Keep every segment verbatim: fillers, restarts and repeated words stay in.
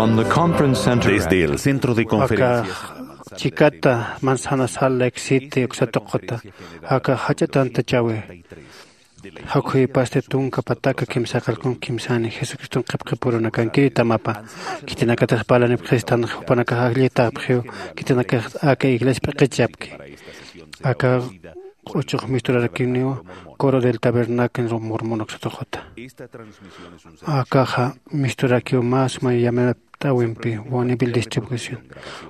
Desde el centro de conferencias. Aka chikata manzana sal lake city uksatuquta aka jach'atantachawi jakhuypasti tunka pataka kimsaqalkun kimsani jesucriston qhipqipurunakankiri tamapa. Khitinakatix parlanipxistan jupanakax ajllitapxiw khitinakax aka iglesia p'iqichapki aka q'uchuq misturarakiniw coro del tabernáculo mormon uksatuquta. Akaxa misturakiw mä suma yamanapt'äwimpi bonneville distribución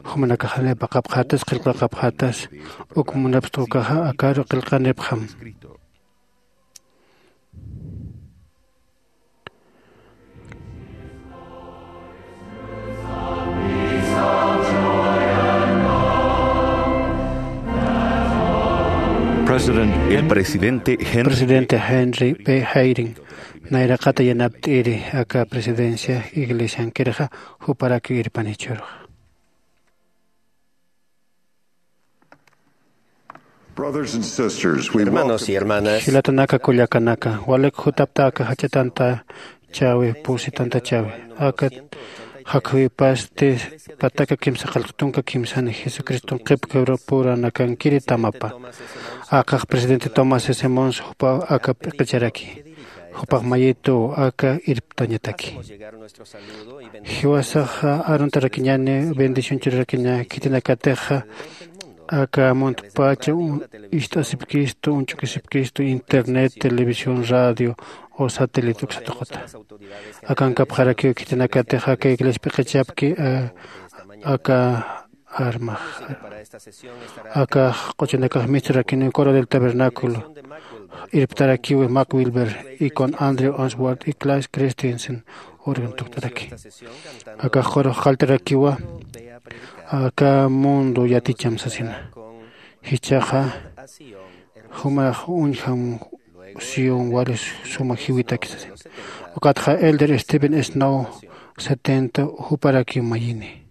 jumanakaxani paqapxatas qillqaqapxatas uk munapxta ukaxa akaru qillqanipxam. El presidente Henry B. Eyring nayraqata yanapt'iri aka presidencia iglesiankirxa juparaki irpanichurxa. Hermanos y hermanas, jilatanaka kullakanaka walik jutapta aka jach'atantachawi pusitantachawi aka jakhuypasti pataka kimsa qallqtunka kimsani jesucriston qhipqipurunakankiri tamapa. Akax presidente tomás s mons jupa aka p'iqicharaki jupax mayituw aka irptañataki. Jiwasaxa aruntarakiñani bendición churarakiña khitinakatixa aka muntpacha ist'asipkistu uñch'ukisipkistu internet televisión radio o satélite uksatuquta. Akankapxarakiw khitinakatix aka iglesia p'iqichapki aka armax akax q'uchinakax misturakiniw coro del tabernáculo irptarakiw mac wilber y con andrew answard y clash christensen organ tukt'araki. Akax qurux qalltarakiwa aka mundo yaticham sasina. Jichhaxa jumax uñjam sión wali suma jiwitaki sasina. Ukatxa elder steven snow setenta juparakiw mayini.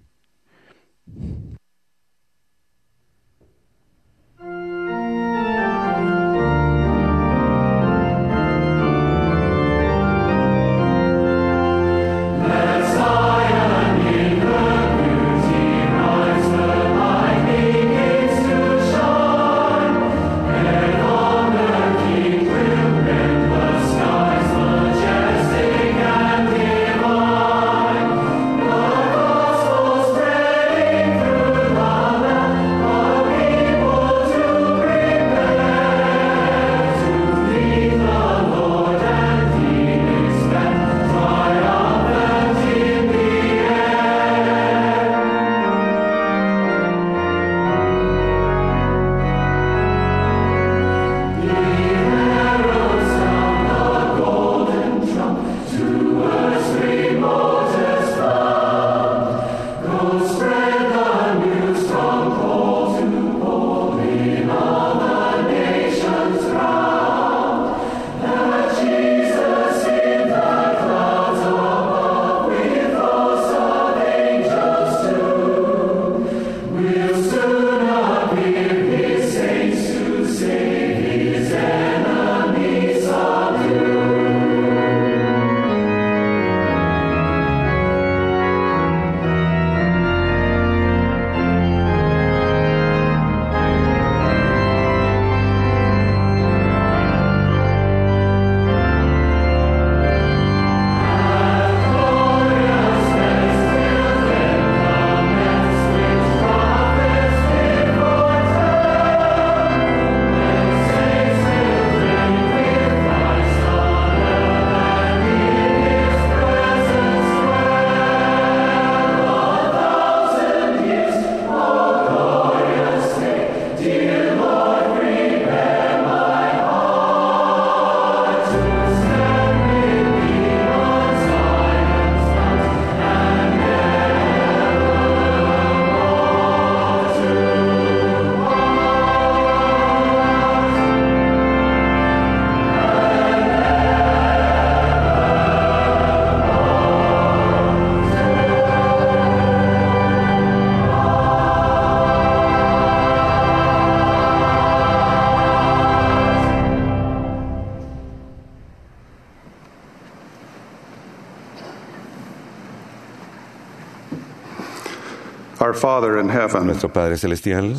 Our Father in heaven, nuestro Padre Celestial,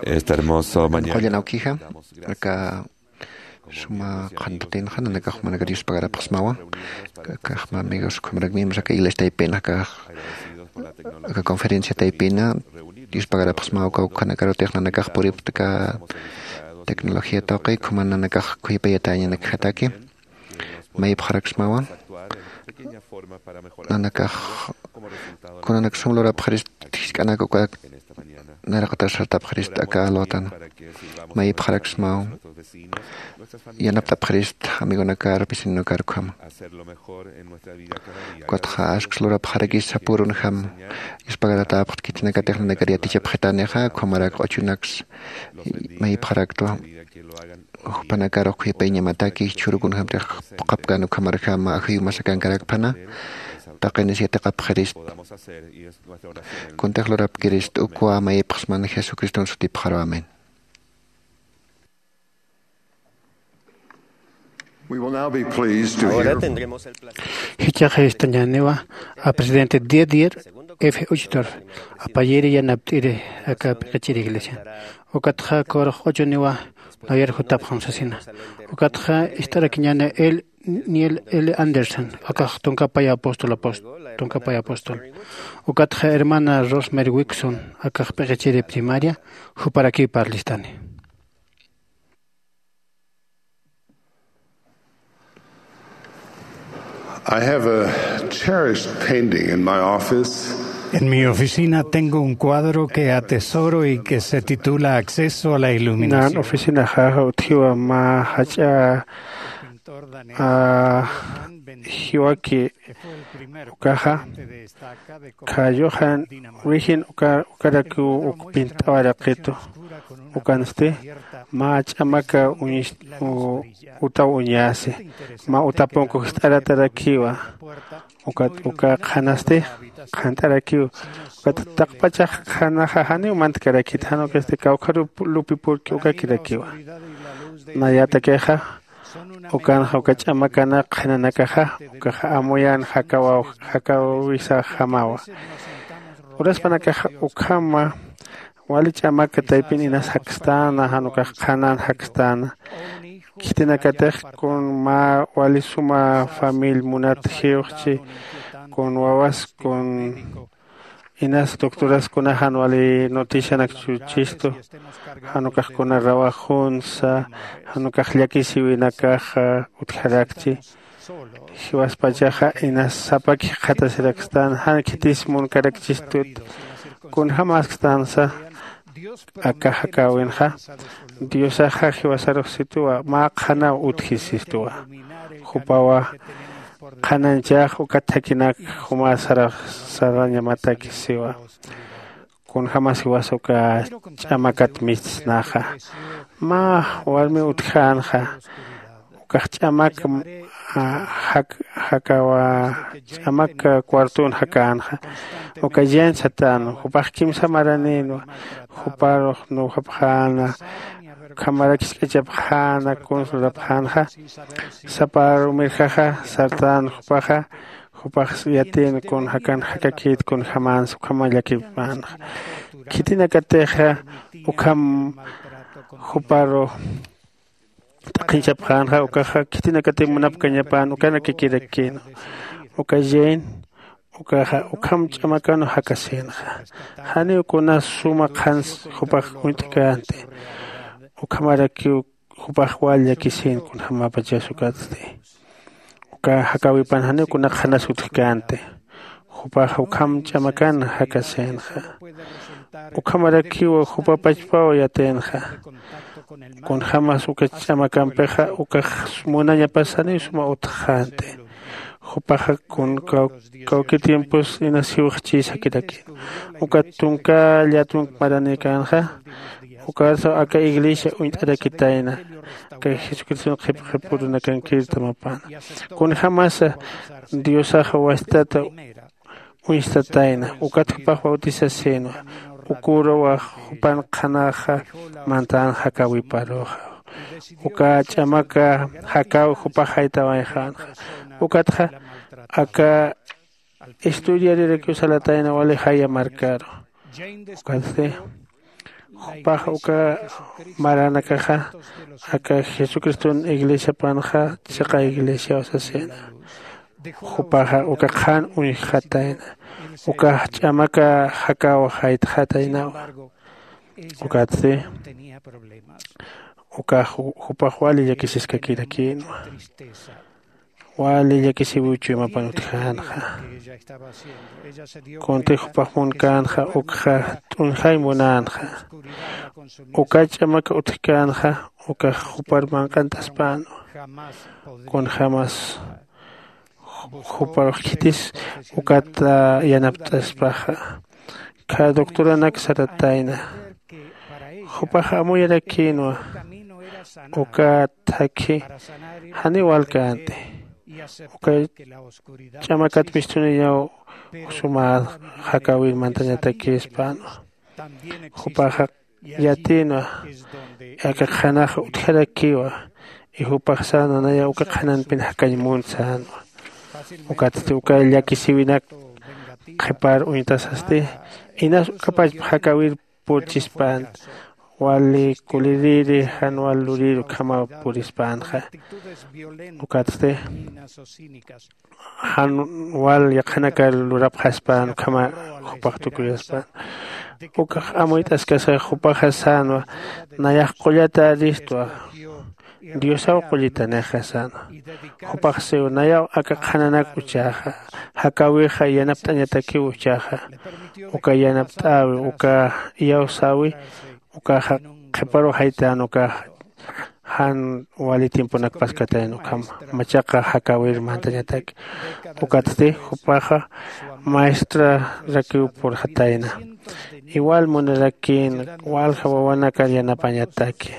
esta hermosa mañana, qullan awkija, aka suma qhantatinxa nanakax jumanakar yuspagarapxsmawa. Akax mä amigos, ukhamrak miembros aka iglesia taypina, aka, aka conferencia taypina yuspagarapxsmawa. Aka ukanakarutix nanakax puripta aka tecnología tawqi, ukhama nanakax khuypayatäñanakjataki. Mayipxaraksmawa. Nanakax kunanak sum lurapxarist, jisk'anak uka naraqatar sartapxarist aka alwatan. Mayipxaraksmaw. Yanaptapxarist amigonakar, vecinonakar ukhama. Ukatxa asks lurapxarakis sapürunjam. Yuspagaratäpxt khitinakatix nanakar yatichapxitanixa, ukhamarak q'uchunaks mayipxaraktwa. Jupanakar ukhuyapayñamataki, jichhüru kunjamtix phuqhapkän ukhamarjama ajayumasakankarakpana, taqinis yatiqapxirist. Kuntix lurapkirist ukwa mayipxsman Jesucriston sutipxaru. Amén. We will now be pleased to hear. Jichhax jistañäniwa a presidente Didier F. Uchtdorf, apayiri yanapt'iri aka p'iqichiri iglesia. Ukatxa kurux q'uchuniwa Noyer jutapxam sasina. Ukatxa ist'arakiñäni el Neil L. Anderson, akax tunka pay apóstol, apóstol, tunka pay apóstol. Ukatxa hermana Rosemary Wixon, akax p'iqichiri primaria, juparakiw parlistani. I have a cherished painting in my office. En mi oficina tengo un cuadro que atesoro y que se titula Acceso a la Iluminación. Nan oficinaxa utjiwa mä jach'a, ah, jiwaki ukaxa, khayuxan wijin uka, ukarakiw uk pint'awaraqitu. Ukansti mä ch'amaka uñis-, u-, utaw uñasi. Mä utapunku jist'aratarakiwa. Ukat uka qhanasti qhant'arakiw. Ukat taqpachax qhanaxa janiw mantkarakit, jan ukasti kawkharup lupipurki ukakirakiwa. Nayatakixa, ukanxa uka ch'amakanak qhinanakaxa, ukaxa amuyän jakawaw, jakawisaxamawa. Uraspanakaxa ukhama wali ch'amaka taypin inas jakstan, jan ukax qhanan jakstan. Khitinakatix kun mä wali suma famil munat jiwxchi, kun wawas, kun inas doctoras kunax jan wali noticianak chuchistu, jan ukax kuna rawajunsa, jan ukax llakisiwinakaxa utjarakchi. Jiwaspachaxa inas sapa jikxatasirakstan, jan khitis munkarakchistut. Kunjämasktansa aka jakäwinxa, Diosaxa jiwasarux situwa, mä qhanaw utjisistuwa. Jupawa qhananchax ukat thakinak juma sarax sarañamatakisiwa. Kunjämas jiwas uka ch'amakat mist'snaxa. Mä warmi utjänxa, ukax ch'amak, a, jak-, jakawa, ch'amak cuartun jakänxa. Uka Jane satan, jupax kimsa maraninwa, juparux nuwjapxäna, ukhamarak jisk'achapxäna, kuns lurapxänxa. Sapa rumirjaxa sartän jupaxa, jupax yatin kun jakan jakakït kunjämans ukhama llakipänxa. Khitinakatixa ukham juparu t'aqhinchapxänxa, ukaxa khitinakati munapkañapän ukanakikirakkïnwa. Uka Jane, ukaxa ukham ch'amakanw jakasïnxa. Janiw kuna suma qhans jupax uñt'känti. Ukhamarakiw jupax wal llakisin kunjämapachas ukatsti. Uka jakäwipan janiw kuna qhanas utjkänti. Jupax ukham ch'amakan jakasïnxa. Ukhamarakiw jupa pachpaw yatïnxa. Kunjämas uka ch'amakampixa ukax munañapas janiw suma utjxänti. Jupaxa kun kaw-, kawki tiempos inas jiwxchïs jakirakin. Ukat tunka llätunk maranïkänxa, ukarsa aka iglesia uñt'arakitayna, aka Jesucriston qhip qhip urunakankir tamapäna. Kunjämasa Diosaxa wastata uñstatayna, ukat jupax bautisasïnwa, uküruw jupan qhanaxa mantän jakäwiparuxa. Uka ch'amaka jakäw jupax jaytawayxänxa. Ukatxa aka estudiarirakiw salatayna wali jaya markaru. Ukatsti jupax uka maranakaxa aka jesucriston iglesiapanxa chiqa iglesiaw sasina. Jupaxa uka qhan uñjxatayna ukax ch'amaka jakaw jaytxataynawa. Ukatsti ukax jupax wali llakisiskakirakïnwa. Wali llakisiwiw chuymapan utjänxa. Kuntix jupax munkänxa ukxa t'uñjay munänxa. Uka ch'amaka utjkänxa ukax jupar manq'ant'aspänwa. Kunjämas juparux khitis ukat yanapt'aspaxa. Kha doctoranak saratayna jupax amuyarakïnwa. Uka thakhi janiw walkänti. Uka ch'amakat mistuniyaw suma jakäwir mantañatakispänwa. Jupaxa yatïnwa aka qhanax utjarakiwa. Y jupax sänwa nayaw uka qhananpin jakañ munt sänwa. Ukatsti uka llakisïwinak qhipar uñtasasti inas uka pachpa jakäwir purchispänta. Wali kuliriri jan wal lurir ukhamaw purispänxa. Ukatsti jan wal yaqhanakar lurapxaspän ukhama jupax tukuyaspän. Ukax amuyt'askasa jupaxa sänwa nayax qullatäristwa. Diosaw qullitanixa sänwa. Jupax siw nayaw aka qhananak uchaxa jakäwixa yanapt'añatakiw uchaxa. Uka yanapt'äwi uka iyawsäwi ukaxa qhiparuw jaytän ukaxa jan wali tiemponakpaskatayna ukham machaqa jakäwir mantañataki. Ukatsti jupaxa maestrarakiw purxatayna. Igual munarakïn walja wawanakar yanapañataki.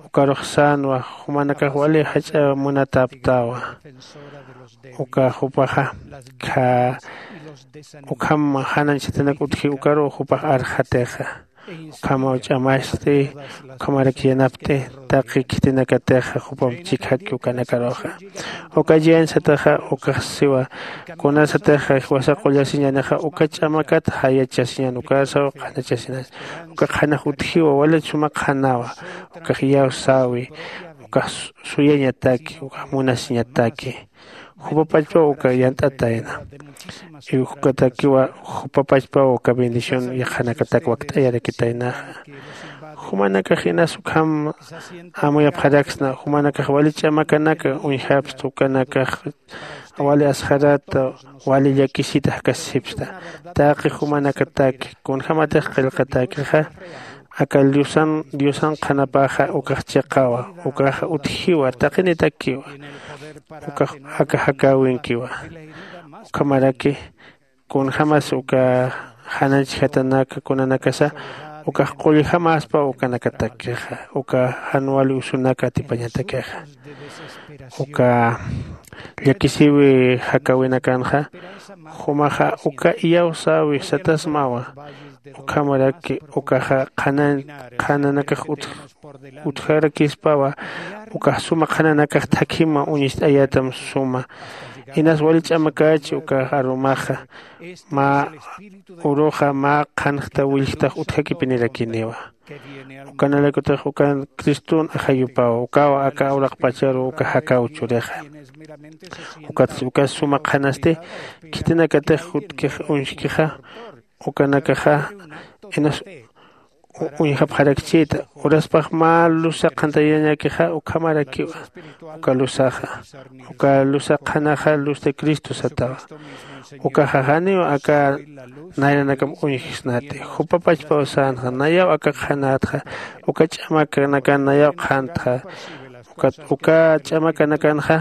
Ukarux sänwa jumanakax wali jach'a munatäpktawa. Uka jupaxa kha ukham janañchatanak utji ukaruw jupax arxatixa. Ukhamaw ch'amasti ukhamarak yanapti taqi khitinakatixa jupam chikjaki ukanakaruxa. Uka yañ sataxa ukax siwa kunasatixa jiwasa qullasiñanixa uka ch'amakat jayachasiñan ukasaw qhanachasiñan. Uka qhanax utjiwa wali suma qhanawa. Ukax iyawsäwi ukax suyañataki ukax munasiñataki. Jupapachpaw uka yant'atayna. Ukatakiwa jupapachpaw uka bendición yaqhanakatak wakt'ayarakitaynaxa. Jumanakax inas ukham amuyapxaraksna jumanakax wali ch'amakanaka uñjapsta ukanakax wali asxarata wali llakisita jakasipsta. Taqi jumanakataki kunjämatix qillqatakixa aka diosan diosan qhanapaxa ukax chiqawa ukaxa utjiwa taqinitakiwa. Ukax aka jakäwinkiwa. Ukhamaraki kunjämas uka jananchjatanaka kunanakasa ukax qulljämäspa ukanakatakixa uka jan wali usunak atipañatakixa. Uka llakisïwi jakäwinakanxa jumaxa uka iyawsäwi satasmawa. Ukhamaraki ukaxa qhana qhananakax utjarakispawa. Ukax suma qhananakax thakhima uñist'ayatam suma inas wali ch'amakächi ukax arumaxa mä uruxa mä qhanxta willjtax utjakipinirakiniwa. Ukanalaykutix ukan criston ajayupaw ukaw aka uraqpacharu uka jakäw churixa. Ukatsti uka suma qhanasti khitinakatix jutkix uñskixa ukanakaxa inas uñjapxarakchïta. Uraspax mä lusa qhantayañakixa ukhamarakiwa. Uka lusaxa uka lusa qhanaxa luz de cristo satawa. Ukaxa janiw aka nayranakam uñjsnati. Jupapachpaw sänxa nayaw aka qhanätxa uka ch'amakanakan nayaw qhantxa. Ukat uka ch'amakanakanxa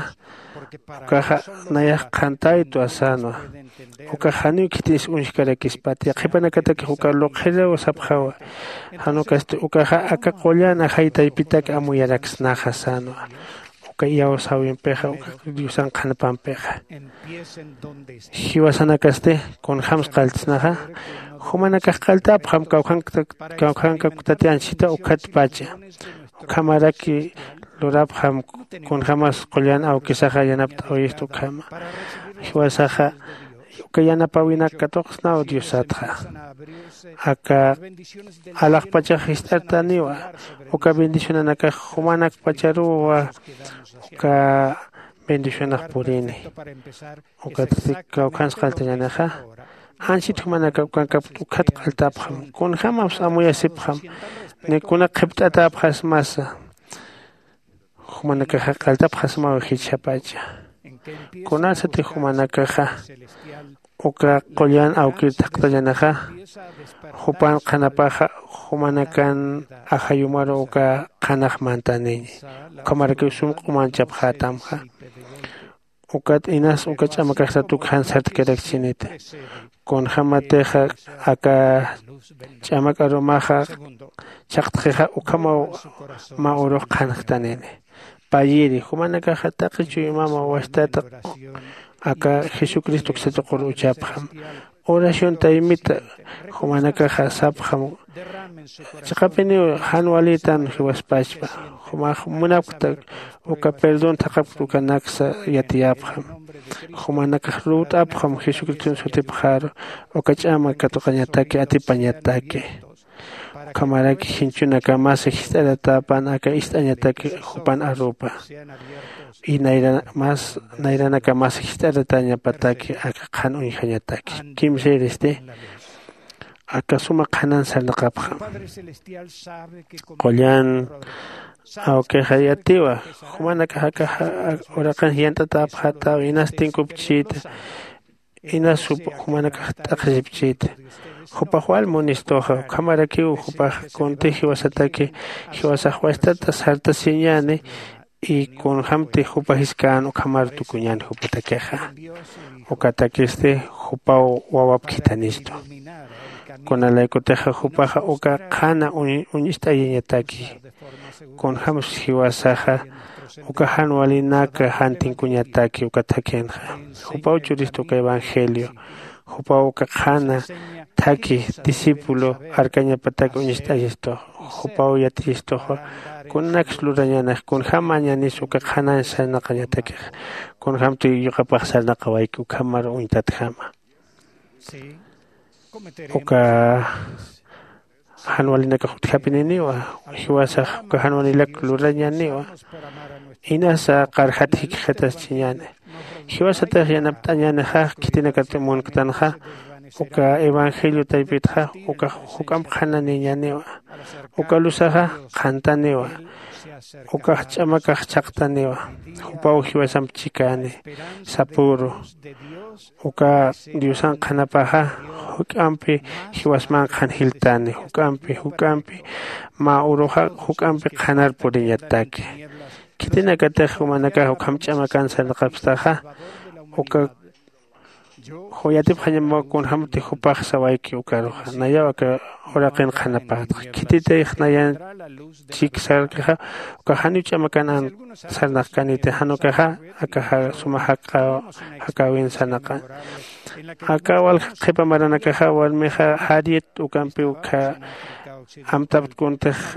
ukaxa nayax qhantaytwa sänwa. Ukax janiw khitis uñjkarakispat yaqhipanakatakix uka luqhiriw sapxawa. Jan ukasti ukaxa aka qullan ajay taypitak amuyaraksnaxa sänwa. Uka iyawsäwimpixa uka diosan qhanapampixa jiwasanakasti kunjämsa qalltsnaxa. Jumanakax qalltäpxam kawkhankaktati anchhita ukhatpacha. Ukhamaraki lurapxam kunjämas qullan awkisaxa yanapt'awayista ukhama. Jiwasaxa Uka yanapäwinak katuqsnaw diosatxa. Aka alaxpachax jist'artaniwa. Uka bendicionanakax jumanakpacharuwa uka bendicionax purini. Ukatsti kawkhans qalltañanixa. Anchit jumanaka ukankapkt ukkhat q'altapxam kunjämaps amuyasipxam. Ni kuna qhipt'atäpxasmasa. Jumanakaxa qalltapxasmaw jichhapacha. Kunasatix jumanakaxa uka qullan awkir thaqtañanixa. Jupan qhanapaxa jumanakan ajayumaru uka qhanax mantaniñi. Ukhamarakiw sum q'umanchapxätamxa. Ukat inas uka ch'amakaxsat uk jan sartkirakchiniti. Kunjämatixa aka ch'amak arumaxa chhaqtxixa ukhamaw mä urux qhanxtanini. Payiri jumanakaxa taqi chuymama wastat aka jesucristo uksa tuqur uchapxam. Oración taymita jumanakaxa sapxam. Chiqapiniw jan walitan jiwaspachpa. Jumax munapkta uka perdón thaqhapkta ukanaksa yatiyapxam. Jumanakax luwt'apxam jesucriston sutipxaru uka ch'ama katuqañataki atipañataki. Ukhamaraki jinchunakamas jist'aratäpan aka ist'añataki jupan arupa. Y nayranas nayranakamas jist'aratañapataki aka qhan uñjañataki kimsiristi. Aka suma qhanan sarnaqapxam. Qullan awkixa yatiwa. Jumanakax aka uraqin jiyant'atäpxätaw inas tinkupchita. Inas jumanakax t'aqhisipchita. Jupax wal munistuxa ukhamarakiw jupax kunti jiwasataki jiwasax wastata sartasiñäni. Y kunjämti jupa jiskän ukhamar tukuñän jupatakixa. Ukatakisti jupaw wawap khithanistu. Kunalaykutixa jupaxa uka qhana uñist'ayañataki. Kunjämsa jiwasaxa uka jan walinaka jan tinkuñataki uka thakhinxa. Jupaw churistu uka evangelio. Jupaw uka qhana thakhi discípulo arkañapatak uñist'ayistux. Jupaw yatiyistuxa kunanaksa lurañanix kunjäm mañanis uka qhanan sarnaqañatakix. Kunjämti yuqapax sarnaqawayki ukhamar uñtatjama. Uka jan walinakax utjapininiwa. Jiwasax uka jan walilak lurañaniwa. Inasa qarjat jikxataschiñäni. Jiwasatix yanapt'añänixa khitinakat munktanxa uka evangelio taypitxa ukax juk'amp qhananiñäniwa. Uka luzaxa qhantaniwa. Ukax ch'amakax chhaqtaniwa. Jupaw jiwasamp chikäni sapüru. Uka diosan qhanapaxa juk'ampi jiwasman qhan jiltani juk'ampi juk'ampi mä uruxa juk'ampi qhanar puriñataki. Khitinakatix jumanakax ukham ch'amakan sarnaqapstaxa uka yatipxañamaw kunjämti jupax sawayki ukaruxa nayaw aka uraqin qhanapätxa khititix nayan chik sarkixa. Ukax janiw ch'amakan an sarnaqkaniti jan ukaxa aka suma jakäwin sarnaqan. Aka walja qhipa maranakaxa warmixa jariet ukampiw ukkha amtaptkuntix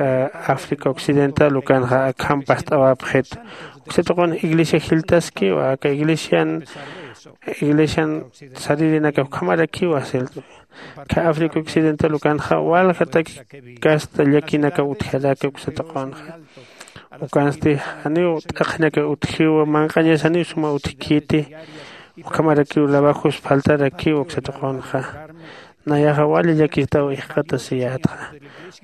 africa occidental ukanxa akham past'awapxit. Uksa tuqun iglesia jiltaskiwa aka iglesian iglesian saririnakax ukhamarakiwa. Kha africa occidental ukanxa waljatak kasta llakinakaw utjaraki uksa tuqunxa. Ukansti janiw t'aqhinakaw utjiwa manq'añas janiw suma utjkiti. Ukhamarakiw labajus faltarakiw uksa tuqunxa. Nayaxa wali llakistaw ijqatasiyätxa.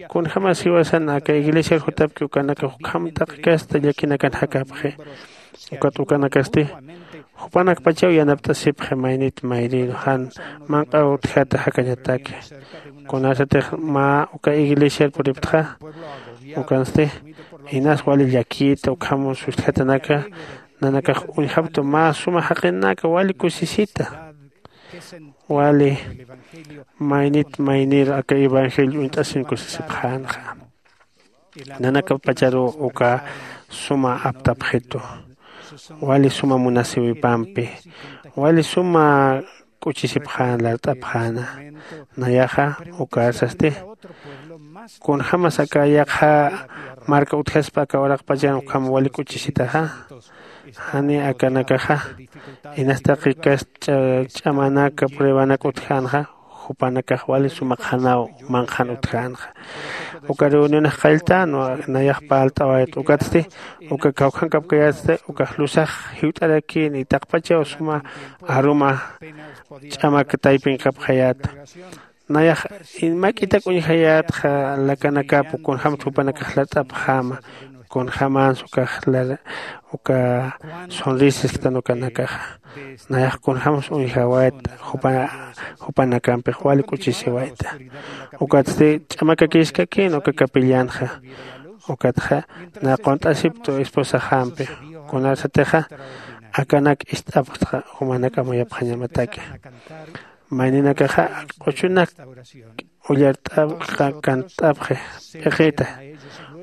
Kunjämas jiwasan aka iglesiar jutapki ukanakax ukham t'aqhi kasta llakinakan jakapxi. Ukat ukanakasti jupanakpachaw yanapt'asipxi maynit mayriru jan manq'aw utjata jakañataki. Kunasatix mä uka iglesiar puriptxa ukansti inas wali llakita ukham sustjatanaka nanakax uñjaptu mä suma jaqinaka wali kusisita. Wali maynit mayniru aka evangelio uñt'asin kusisipxänxa. Nanakapacharuw uka suma aptapxitu. Wali suma munasiwipampi wali suma k'uchisipxäna lart'apxäna. Nayaxa ukarsasti kunjämas aka yaqha marka utjaspa aka uraqpachan ukham wali k'uchisitaxa. Jani akanakaxa inas taqikas ch'amanaka pruebanak utjänxa, jupanakax wali suma qhanaw manqhan utjänxa. Uka reunionax qalltänwa, nayax parlt'awayta ukatsti uka kawkhankapkayätsti ukax lusax jiwt'arakïn y taqpachaw suma aruma ch'amak taypinkapxayäta. Nayax mak'itak uñjayätxa lakanakap kunjämtix jupanakax lat'apxäma, kunjämans ukax lara uka sonrisa isktan ukanakaxa. Nayax kunjämsa uñjawayta jupanakampix wali k'uchisiwayta. Ukatsti ch'amakakïskakïn uka capillanxa. Ukatxa na qunt'asiptu esposaxampi, kunarsatixa akanak ist'apxtxa jumanak amuyapxañamataki. Mayninakaxa q'uchunak ullart'apxi, kantt'apxi p'iqita.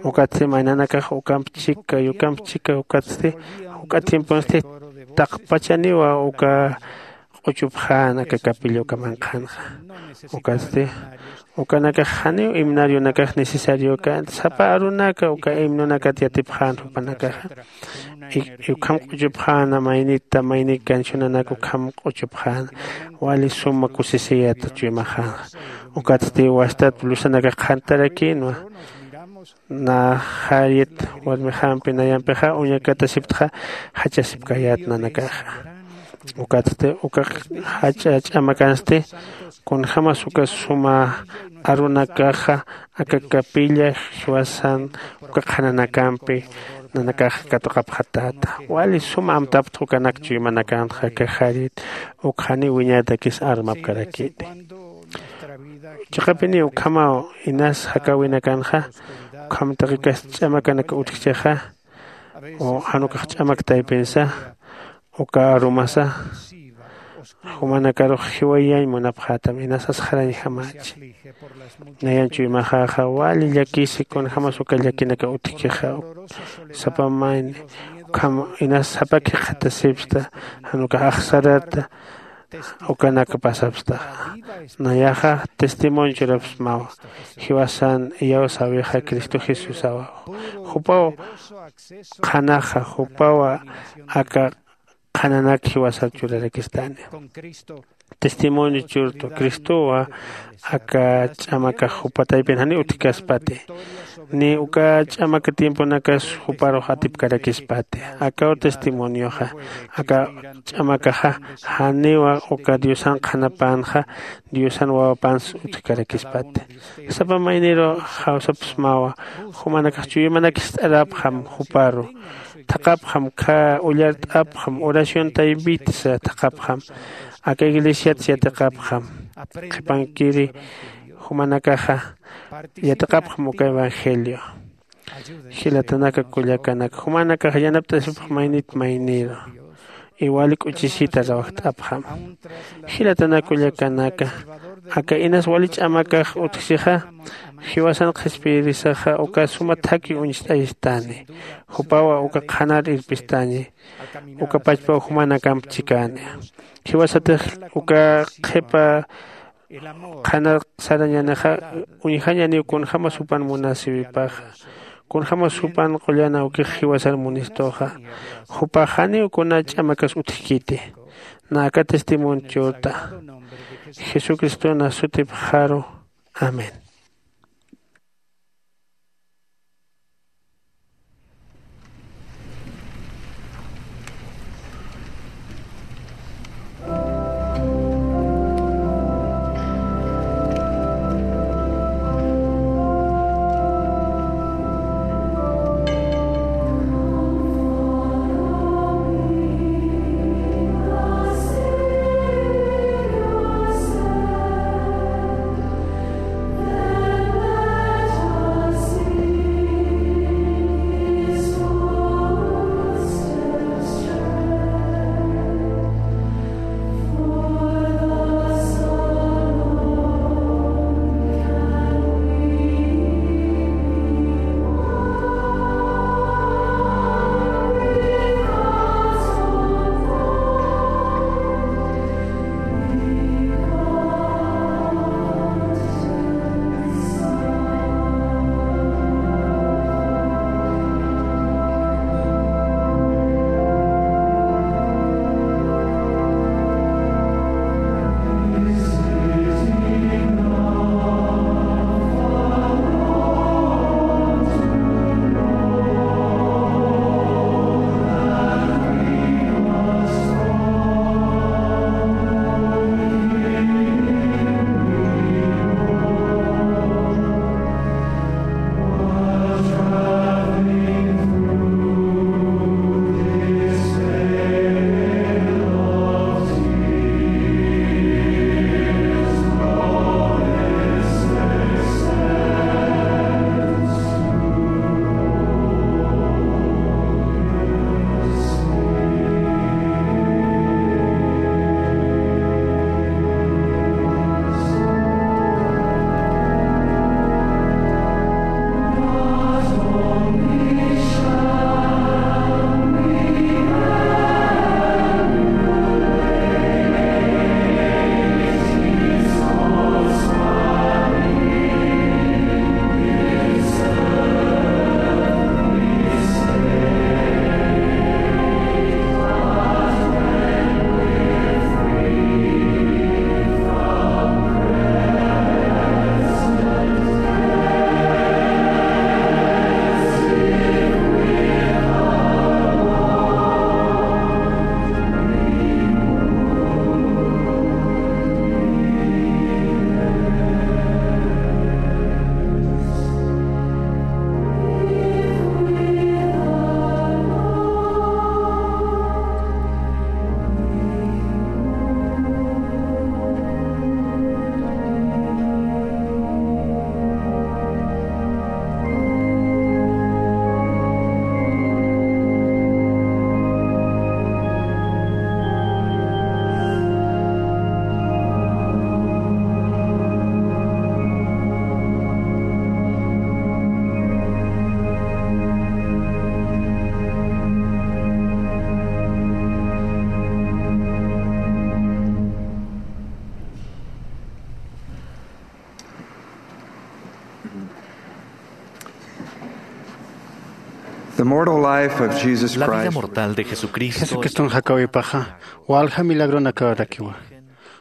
Ukatsti maynanakax ukamp chika yukamp chika ukatsti juk'a tiemponsti taqpachaniwa uka q'uchupxän aka capilla uka manqhanxa. Ukatsti ukanakax janiw himnarionakax necesariokänti sapa arunaka uka himnonakat yatipxän jupanakaxa. Ukham q'uchupxäna maynita maynik cancionanak ukham q'uchupxäna. Wali suma kusisiyata chuymaxänxa. Ukatsti wastat blusanakax qhantarakïnwa. Naxarit warmixampi nayampixa uñakatasiptxa jachasipkayät nanakaxa. Ukatsti uka jach'a ch'amakansti kunjämas uka suma arunakaxa aka capilla jiwasan uka qhananakampi nanakax katuqapxatäta. Wali suma amtaptxa ukanak chuymanakanxa aka jarit uk janiw wiñatakis armapkarakiti. Chiqapiniw ukhamaw inas jakäwinakanxa ukham taqikas ch'amakanak utjchixa jan ukax ch'amak taypinsa uka arumasa jumanakarux jiwayañ munapxätam inas asxarañjamächi. Nayan chuymaxäxa wali llakisi kunjämas uka llakinaka utjkixa sapa mayni ukham inas sapa khikxatasipsta jan ukax axsarata ukanak pasapstaxa. Nayaxa testimonio churapsmawa jiwasan iyawsäwixa cristo jesusawa. Jupaw qhanaxa jupawa aka qhananak jiwasar churarakistani. Testimonio churtu cristowa aka ch'amakax jupa taypin janiw utjkaspati. Ni uka ch'amaka tiemponakas juparux atipkarakispati. Akaw testimonioxa aka ch'amakaxa janiwa uka diosan qhanapänxa diosan wawapans utjkarakispati. Sapa mayniru jawsapsmawa jumanakax chuymanakist'arapxam juparu thaqhapxam khä ullart'apxam oración taypitsa thaqhapxam aka iglesiatsa yatiqapxam qhipankiri jumanakaxa yatiqapxam uka evangelio. Jilatanaka kullakanaka jumanakax yanapt'asipxam maynit mayniru iwali k'uchisita rawajt'apxam. Jilatanaka kullakanaka aka inas wali ch'amakax utjsixa jiwasan qhispiyirisaxa uka suma thakhi uñst'ayistani. Jupawa uka qhanar irpistañi uka pachpaw jumanakamp chikani. Jiwasatix uka qhipa qhanar sarañanixa uñjañaniw kunjämas jupan munasiwipaxa kunjämas jupan qullan awkix jiwasar munistuxa. Jupax janiw kuna ch'amakas utjkiti. Na aka testimonio churta jesucristona sutipxaru. Amén. The mortal life of Jesus Christ. La vida mortal de Jesucristo. Jesucriston jakawipaxa walja milagronakarakiwa.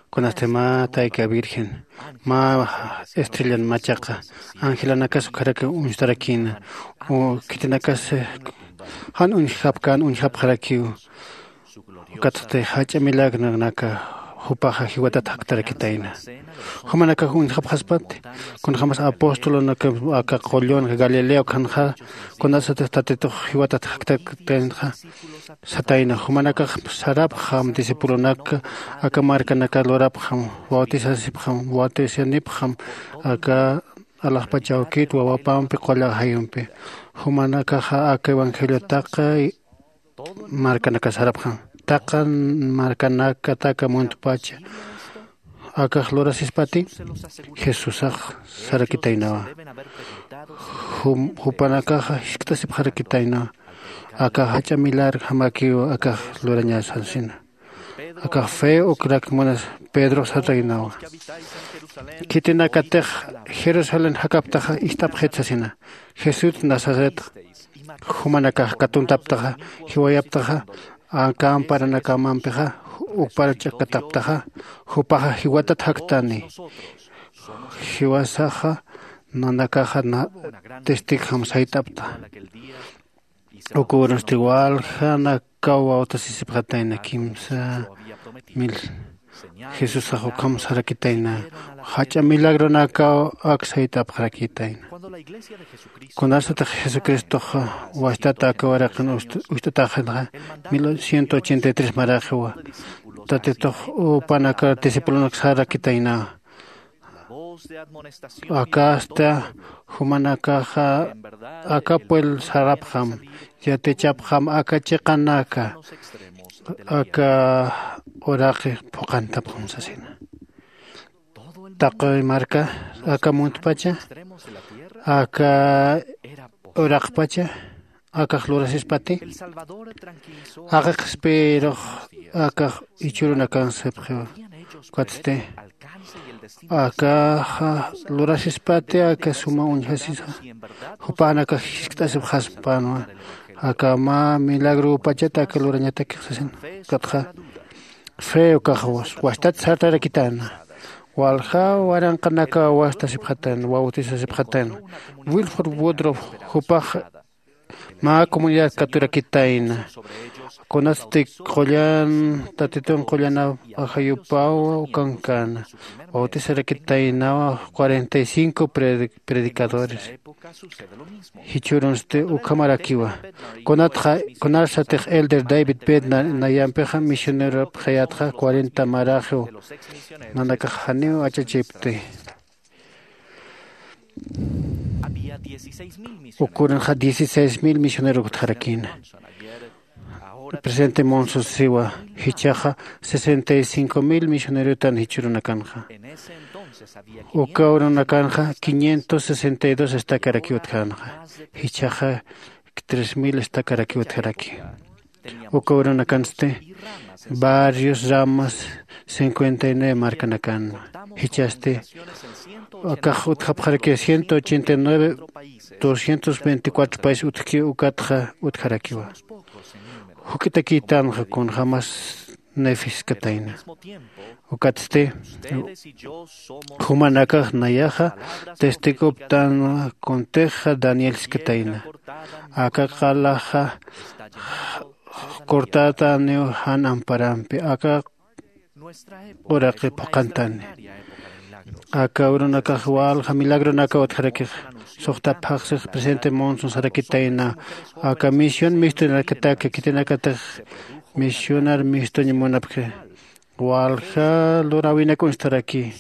Kunasti mä tayka virgen, mä estrellan machaqa, angelanakas ukharaki uñstarakïna, u khitinakas jan uñjapkän uñjapxarakiw. Ukatsti jach'a milagronaka jupaxa jiwatat jaktarakitayna. Jumanakax uñjapxaspati, kunjämas apostolunaka aka qullun Galilea ukhanxa, kunasatix Tatitux jiwatat jaktarakitaynaxa satayna. Jumanakax sarapxam, discipulonak aka markanaka lurapxam, bautisasipxam, bautisianipxam aka alaxpach awkit wawapampi qulla jayumpi. Jumanakaxa aka evangelio taqi markanaka sarapxam. Taqi markanaka, taqi muntpacha. Akax lurasispati, Jesusax sarakitaynawa. Jum-, jupanakaxa jiskt'asipxarakitaynawa. Aka jach'a milagro jamakiw akax lurañasasina. Akax fe ukrak munas Pedrox sartaynawa. Khitinakatix Jerusalén jakaptaxa ist'apxit sasina. Jesús Nazaret jumanakax katuntaptaxa, jiwayaptaxa, aka amparanakamampixa ukpar ch'akataptaxa, jupaxa jiwatat jaktani. Jiwasaxa nanakaxa na-, testigojam sayt'apta. Uka urunsti waljanakaw bautisasipxatayna kimsa mil. Jesusax ukham sarakitayna, jach'a milagronakaw ak sayt'apxarakitayna. Kunasatix Jesucristox wachtat aka uraqin ust-, ucht'ataxinxa, mil ciento ochenta y tres maraxiwa. Tatitux jupanaka discipulonak sarakitayna. Akasta jumanakaxa aka pueblo sarapxam, yatichapxam aka chiqanaka, aka uraqi phuqantapxam sasina. Taqi marka, aka muntpacha, aka uraqpacha, akax lurasispati. Aka qhispiyirux akax jichhürunakan sapxiwa. Ukatsti akaxa lurasispati, aka suma uñjasisa. Jupanakax jiskt'asipxaspänwa. Aka mä milagropachat aka lurañatakix sasin. Ukatxa fe ukax was-, wastat sartarakitäna. Walja waranqanakaw wastasipxatäna, bautisasipxatäna. Wilford Woodruff jupax mä comunidad katurakitayna. Kunasti qullan, Tatitun qullan ajayupaw ukankäna. Bautisarakitaynawa cuarenta y cinco predi-, predicadores. Jichhürunsti ukhamarakiwa. Kunatxa, kunasatix Elder David Bednar nayampixa misioneropxayätxa cuarenta maraxiw. Nanakax janiw achachipti. Uka urunxa dieciséis mil misioneros utjarakïna. Presidente Monson siwa, jichhaxa sesenta y cinco mil misionerotan jichhürunakanxa. Uka urunakanxa quinientos sesenta y dos estakarakiw utjänxa. Jichhaxa tres mil estakarakiw utjaraki. Uka urunakansti barrios, ramas, cincuenta y nueve markanakan. Jichhasti akax utjapxaraki ciento ochenta y nueve, doscientos veinticuatro país utjki, ukatxa utjarakiwa. Juk'itakïtanxa kunjämas Nefiskatayna. Ukatsti jumanakax nayaxa testigoptanwa, kuntixa Danielskatayna. Aka qalaxa cortätaniw jan amparampi, aka uraqi phuqhantani. Aka urunakax walja milagronakaw utjarakix. Suxta phaxsix presidente Monson sarakitayna, aka misión mistuñarakataki, khitinakatix misionar mistuñ munapxi. Walja luräwinak uñstaraki.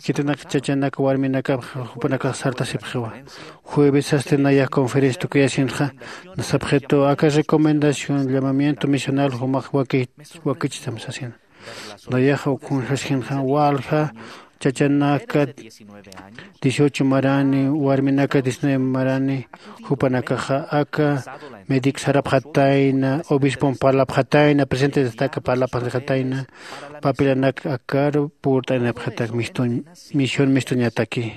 Khitinak chachanak warminak jupanakax sartasipxiwa. Juevesasti nayax conferencia tukuyasinxa, sapxitu aka recomendación llamamiento misional jumax waki-, wakichtam sasin. Nayaxa ukhunxaskinxa walja chachanaka dieciocho marani, warminaka diecinueve marani, jupanakaxa aka médico sarapxatayna, obispon parlapxatayna, presidente de estaca parlapxatayna, papilanak akaru purt'anipxatak mistuñ-, misión mistuñataki.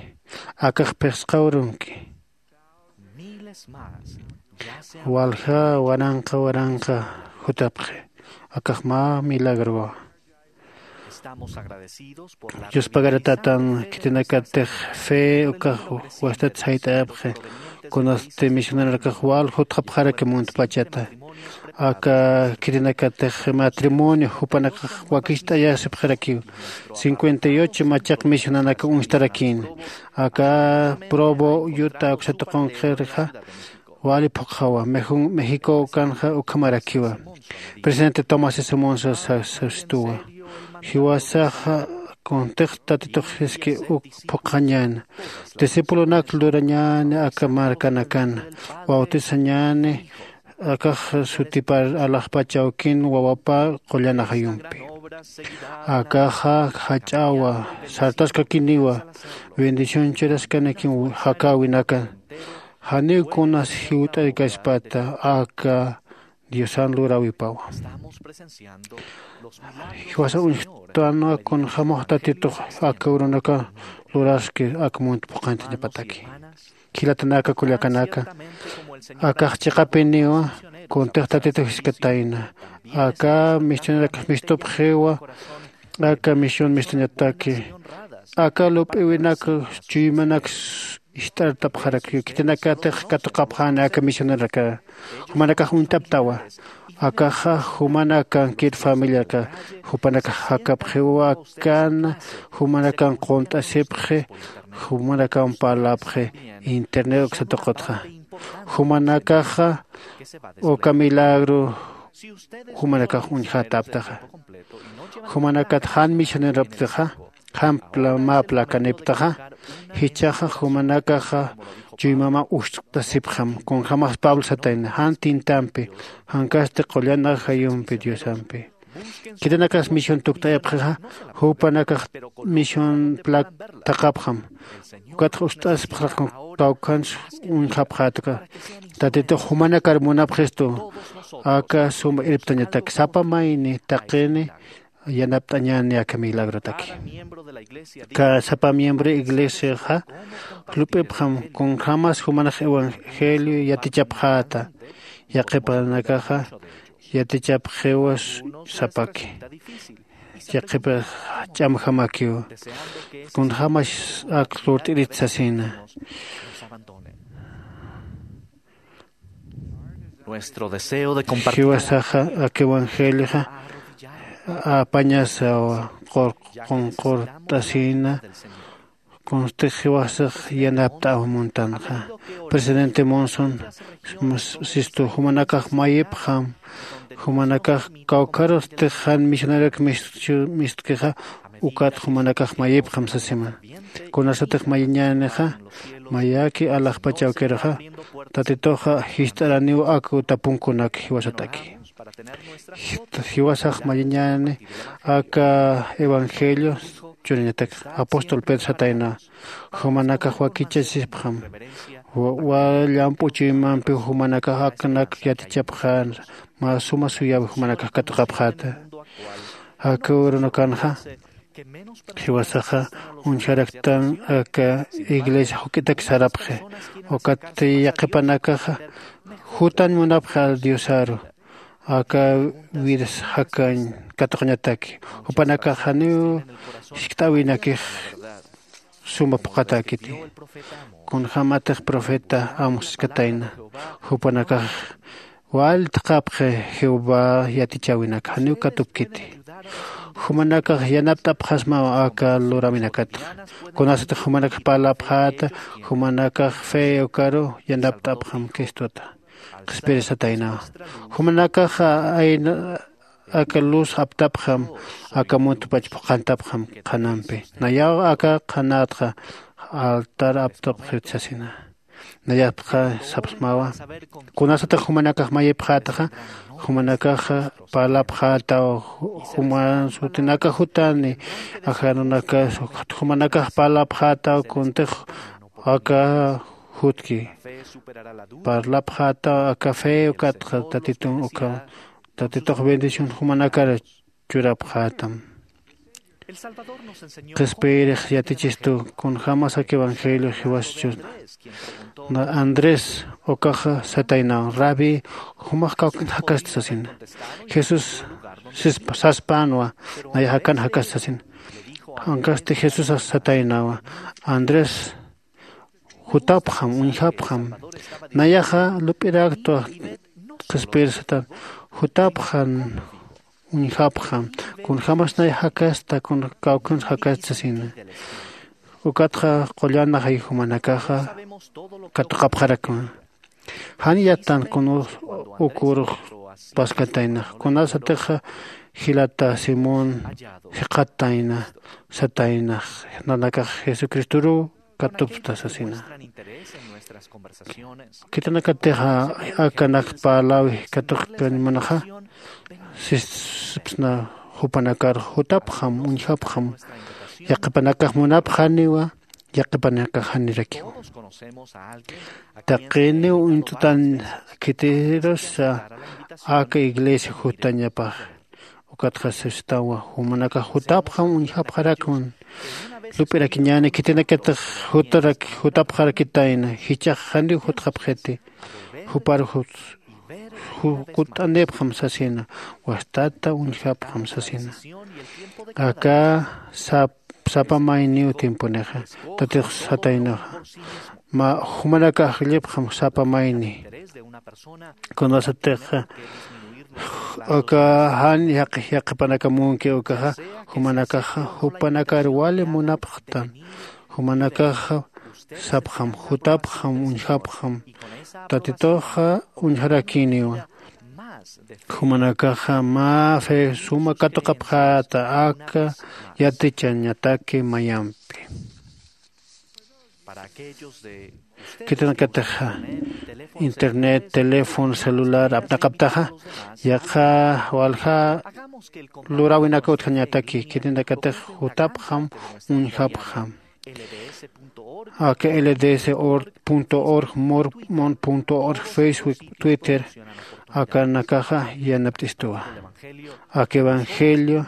Akax phisqa urunki. Miles más Walja waranqa waranqa jutapxi. Akax mä milagrowa. Yuspagaratatan khitinakatix fe ukax wastat sayt'ayapxi. Kunasti misionarakax wal jutxapxaraki muntpachata. Aka khitinakatix matrimonio jupanakax wakicht'ayasipxarakiw. Cincuenta y ocho machaq misionanaka uñstarakïn. Aka provo yuta uksatuqunqirixa wali phuqxawa. Mexico ukanxa ukhamarakiwa. Presidente tomás simonsa sastuwa. Jiwasaxa kuntix tatitux jiski uk phuqxañäna. Discipulonak lurañäni aka markanakana. Bautisañäni akax sutipar alaxpachawkin wawapa qullan ajayumpi. Akaxa jach'awa sartaskakiniwa. Bendición churaskanakin jakäwinaka. Janiw kunas jiwt'aykaspata aka diosan luräwipawa. Jiwasa uñjtanwa kunjämax tatitux aka urunaka luraski aka munt phuqhantañapataki. Jilatanaka kullakanaka, akax chiqapiniwa kuntix tatitux jiskatayna. Aka misionarakax mistupxiwa. Aka misión mistuñataki aka lup'iwinak chuymanak ist'artapxarakiw khitinakatix katuqapxäni aka misionaraka. Jumanakax uñt'aptawa. Akaxa jumanakan kit familiaka jupanakax jakapxiwa. Akan jumanakan qunt'asipxi. Jumanakan parlapxi internet uksatuqutxa. Jumanakaxa uka milagro jumanakax uñjataptaxa. Jumanakat jan misioneraptaxa jan mä placaniptaxa. Jichhaxa jumanakaxa chuymama ust'asipxam kunjämax pablo satayna jan tintampi jankasti qullan ajayumpi diosampi. Khitinakas misión tukt'ayapxixa jupanakax misión plac thaqhapxam. Ukatxa ust'asipxaraqam kawkhans uñjapxätka. Tatitux jumanakar munapxistu aka suma irptañatak sapa mayni taqini yanapt'añäni aka milagrotaki. Sapa miembro iglesiaxa lup'ipxam kunjämas jumanax evangelio yatichapxäta. Yaqhipanakaxa yatichapxiwa sapaki. Yaqhipax ch'amjamakiw kunjämas ak lurt'irit sasina. Jiwasaxa ak evangelioxa apañasawa qunqurt'asina. Kunstix jiwasax yanapt'aw muntanxa. Presidente monson sistu jumanakax mayipxam. Jumanakax kawkharustix jan misioneroki mistkixa ukat jumanakax mayipxam sasima. Kunasatix mayiñänixa mayäki alaxpachawkiruxa tatituxa jist'araniw ak utapunkunak jiwasataki. Jiwasax mayiñäni aka evangelio churiñatak apóstol pedro satayna. Jumanakax wakichasipxam. Wa llamp'u chuymampi jumanakax aknak yatichapxän mä suma suyäwi jumanakax katuqapxäta. Aka urunakanxa jiwasaxa uñjaraktan aka iglesia juk'itak sarapxi. Ukat yaqhipanakaxa jutan munapxi al diosaru aka vidas jakañ katuqañataki. Jupanakax janiw jiskt'äwinakix suma phuqhatäkiti. Kunjämatix profeta amos jiskatayna jupanakax wal thaqhapxi jehová yatichäwinak janiw katupkiti. Jumanakax yanapt'apxasmaw aka luräwinakatxa. Kunasatix jumanakax parlapxäta jumanakax fe ukaru yanapt'apxam cristota qhispirisataynawa. Jumanakaxa ayna aka luz aptapxam aka muntpach phuqhantapxam qhanampi. Nayaw aka qhanätxa altar aptapxit sasina. Nayapxa sapxsmawa kunasatix jumanakax mayipxätaxa jumanakaxa parlapxätaw juman sutinaka jutani ajarunakas jumanakax parlapxätaw kuntix aka jutki parlapxätaw aka fe ukatxa tatitun uka tatitux bendición jumanakar churapxätam. Qhispiyirix yatichistu kunjämas aka evangelio jiwaschu. Na Andrés ukaxa sataynaw: Rabi, jumax kawkin jakasti sasina. Jesús sispa saspänwa: Nayax akan jakasti sasina. Ankasti Jesúsax sataynawa: Andrés, jutapxam, uñjapxam. Nayaxa lup'iräktwa. Qhispiyir satan: Jutapxam, uñjapxam. Kunjämas nayax jakasta, kun kawkins jakasta sasina. Ukatxa qullan ajay jumanakaxa katuqapxarakma. Jan yattan kun uk urux paskataynax. Kunasatixa jilata Simón jikxatayna sataynax: Nanakax Jesucristoruw katupxta sasina. Khitinakatixa akanak parlawi katuqkañ munaxa, sisipsna jupanakar: Jutapxam, uñjapxam. Yaqhipanakax munapxaniwa, yaqhipanakax janirakiwa. Taqiniw uñt'tan khitirusa aka iglesia jutañapax. Ukatxa sisitawa: Jumanakax jutapxam, uñjapxarakman. Lup'irakiñäni, khitinakatix jutarak jutapxarakitayna. Jichhax janiw jutxapxiti. Jupar jut- ju- kutt'anipxam sasina. Wastata uñjapxam sasina. Aka sap sapa mayniw tiemponixa. Tatix sataynaxa: Mä jumanakax ajllipxam sapa mayni. Kunasatixa aka jan yaqhipanaka munki ukaxa, jumanakaxa jupanakar wali munapxtan. Jumanakaxa sapxam: Jutapxam, uñjapxam. Tatituxa uñjarakiniwa. Jumanakaxa mä fe suma katuqapxäta aka yatichañataki mayampi. Khitinakatixa internet, teléfono, celular apnaqaptaxa, yaqha walja luräwinaka utjañataki. Khitinakatix jutapxam, uñjapxam. Aka lds org, mormon org, Facebook, Twitter, akanakaxa yanapt'istuwa. Aka evangelio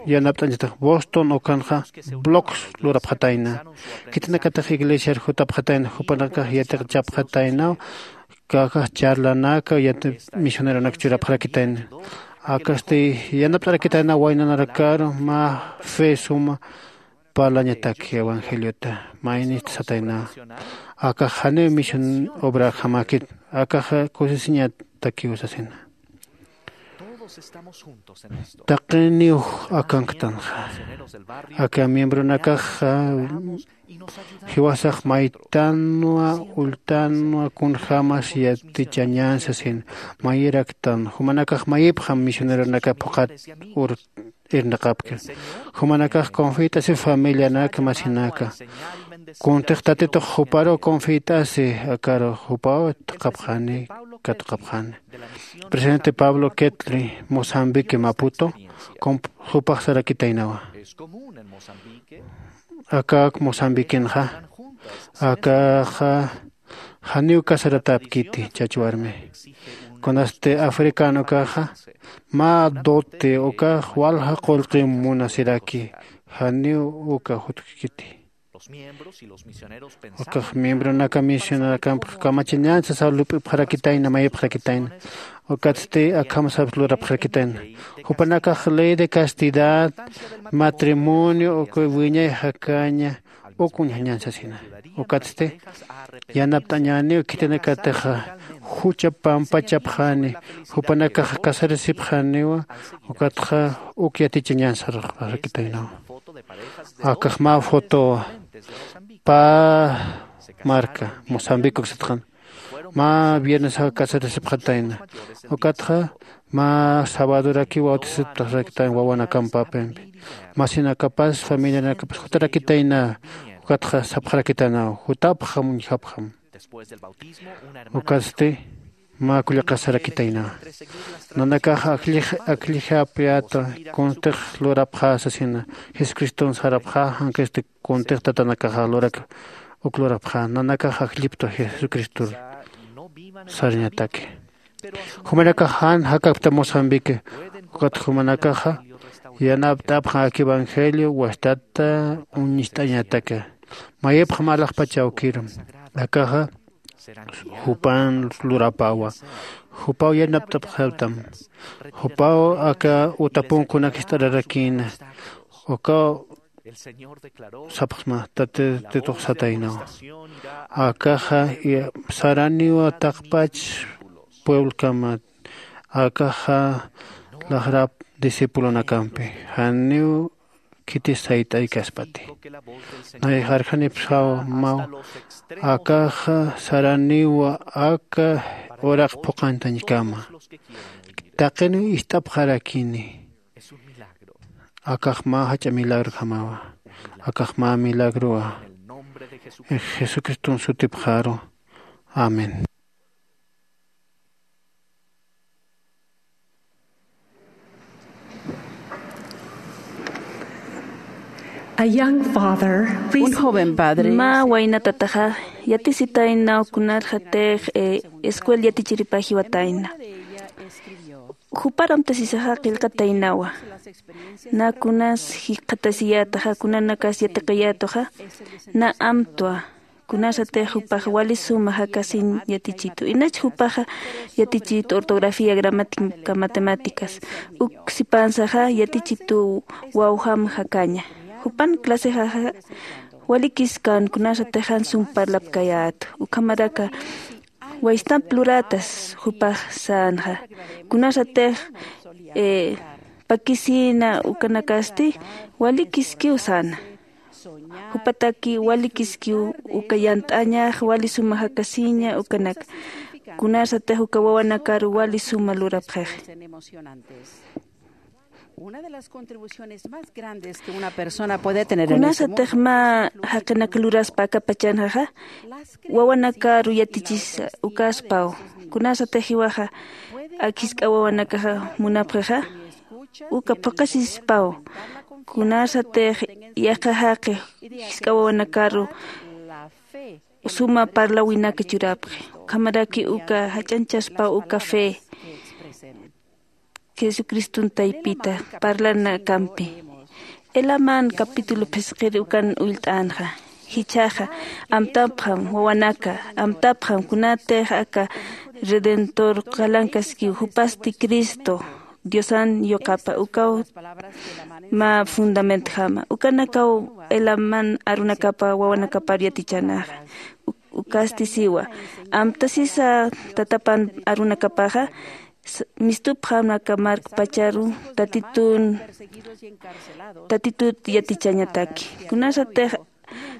yanapt'añatax. Boston ukanxa blogs lurapxatayna. Khitinakatix iglesiar jutapxatayna, jupanakax yatichapxataynaw. Akax charlanaka, yati misioneronak churapxarakitayna. Akasti yanapt'arakitayna waynanarakaru mä fe suma parlañataki evangeliota. Maynist satayna. Akax janiw misión obrakjamäkit. Akaxa kusisiñatakiw sasina. Taqiniw akanktanxa. Aka miembronakaxa jiwasax maytanwa ulltanwa kunjämas yatichañän sasin. Mayiraktan jumanakax mayipxam misioneronaka phuqhat ur irnaqapki. Jumanakax confiyt'asi familianak masinaka. Kuntix tatitux juparu confiyt'asi akaru jupaw taqapxani katuqapxani. Presidente Pablo Ketli, Mozambique, Maputo, jupax sarakitaynawa. Akak Mozambiquenxa akaxa janiw casaratäpkiti chach warmi. Kunasti africano ukaxa mä dote ukax walja qullqi munasiraki, janiw uka jutkiti. Ukax miembronaka misionarakampx kamachañan sasaw lup'ipxarakitayna, mayipxarakitayna. Ukatsti akham sapx lurapxarakitayna. Jupanakax ley de castidad, matrimonio, uka wiñay jakaña, uk uñjañan sasina. Ukatsti yanapt'añäniw khitinakatixa jucha pampachapxani, jupanakax casarasipxaniwa, ukatxa uk yatichañan sarxarakitaynawa. Akax mä fotowa, pä marca Mozambique uksatxan. Mä viernesax casarasipxatayna. Ukatxa mä sabadoraki bautizapxarakitayna wawanakampapimpi. Masinakapas familianakapas jutarakitayna. Ukatxa sapxarakitaynaw: Jutapxam, uñjapxam. Ukatsti mä kullaqas sarakitayna. Nanakax akllij akllij apyata, kuntix lurapxä sasina. Jesucriston sarapxä, jankasti kuntix tatanakaxa lurak uk lurapxä. Nanakax akllipta Jesucristor sarañataki. Jumanakax jan jakapkta Mozambique. Ukat jumanakaxa Yanapt'apxam aka evangelio wastata uñist'añataka. Mayipxam alaxpach awkiru, akaxa jupan lurapawa. Jupaw yanapt'apxätam. Jupaw aka utapunkunak jist'ararakïna. Ukaw sapxsma tatitux sataynaw. Akaxa saraniwa taqpach pueblokama. Akaxa laxrap discipulonakampi janiw khitis sayt'aykaspati. Nay jarjanipsaw maw. Akaxa saraniwa aka uraq phuqantañkama. Taqiniw ist'apxarakini. Akax mä jach'a milagrojamawa. Akax mä milagrowa. Jesucriston sutipxaru. Amén. A young father Un joven padre. Mä waynatataxa yatisitaynaw kunarxatix escuel yatichiripa jiwatayna. Juparamtasisaxa qillqataynawa. Na kunas jikxatasiyätaxa kunanakas yatiqiyätuxa, na amtwa. Kunasatix jupax wali suma jakasiñ yatichitu, inach jupaxa yatichitu ortografía, gramática, matemáticas. Uk sipansaxa yatichitu wawjam jakaña. Jupan clasexaxa walikiskan kunasatix jan sum parlapkayätu. Ukhamaraka waystamp luratas jupax sänxa. Kunasatix pakisïna ukanakasti walikiskiw säna. Jupataki walikiskiw uka yant'añax wali suma jakasiña ukanak. Kunasatix uka wawanakaru wali suma lurapxix. Kunasatix mä jaqinak luraspa aka pachanxaxa wawanakaru yatichisa ukaspaw. Kunasatix jiwaxa ak jisk'a wawanakaxa munapxixa uka phuqasispaw. Kunasatix yaqha jaqi jisk'a wawanakaru suma parlawinaka churapxi. Ukhamaraki uka jach'añchaspaw uka fe jesucriston taypita parlanakampi. Elaman capítulo phisqiri ukan ullt'änxa. Jichhaxa amtapxam wawanaka, amtapxam kunatix aka redentor qalankaskiw jupasti cristo diosan yuqapa ukaw mä fundamentjama. Ukanakaw elaman arunakapa wawanakaparu yatichanaxa. Ukasti siwa amtasisa tatapan arunakapaxa mistupxam aka markpacharu tatitun tatitut yatichañataki. Kunasatix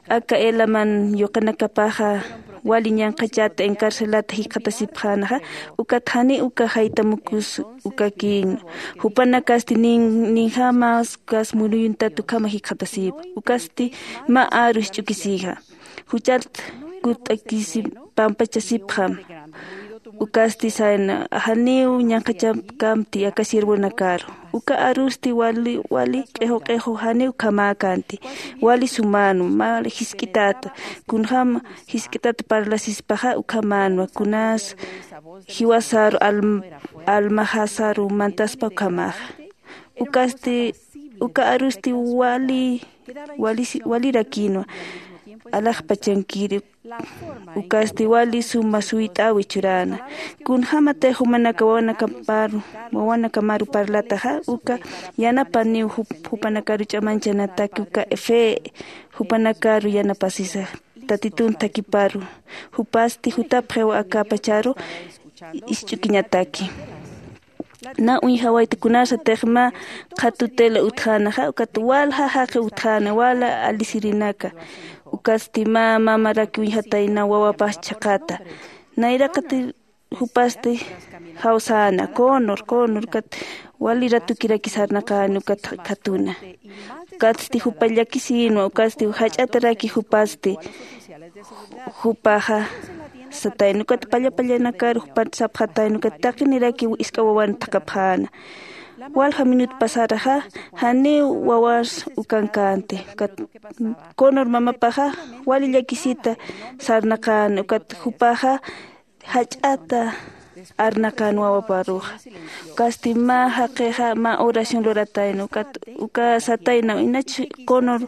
aka elaman yuqanakapaxa wali ñanqhachata encarcelata jikxatasipxänaxa ukat jani uka jaytamukus ukakïn. Jupanakasti ninjamas ukas muruyuntat ukhama jikxatasïpa ukasti mä aru jich'ukisïxa. Juchat kutt'akisi pampachasipxam. Ukasti sayna janiw ñanqhachapkamti aka siervonakaru. Uka arusti wali wali q'iqu q'iqu janiw ukhamäkänti. Wali sumänwa mä jisk'itäta kunjäm jisk'itäta parlasispaxa ukhamänwa kunas jiwasaru almajasaru mantaspa ukhamaxa. Ukasti uka arusti wali walirakïnwa alaxpachankiri. Ukasti wali suma suyt'äwi churäna. Kunjämatix jumanaka wawanakamaru wawanakamaru parlataxa uka yanapaniw jupanakaru ch'amañchanataki uka fe jupanakaru yanapasisa tatitun thakiparu. Jupasti jutapxiw aka pacharu isch'ukiñataki. Na uñjawayta kunasatix mä qhatutila utjänaxa ukat walja jaqi utjäna wala alisirinaka. Ukatsti mä mamaraki uñjatayna wawapax chhaqhata. Nayraqati jupasti jawsäna conor conor ukat wali ratukiraki sarnaqäni ukat khatuna. Ukatsti jupa llakisïnwa ukatsti jach'ataraki jupasti jupaxa satayna ukat pallapallanakar jupat sapxatayna ukat taqiniraki isk'a wawan thaqhapxäna. Walja minut pasaraxa janiw wawas ukankänti ukat conor mamapaxa wali llakisita sarnaqäna ukat jupaxa jach'ata arnaqan wawaparuxa. Ukasti mä jaqixa mä oración luratayna ukat uka satayna inach Connor,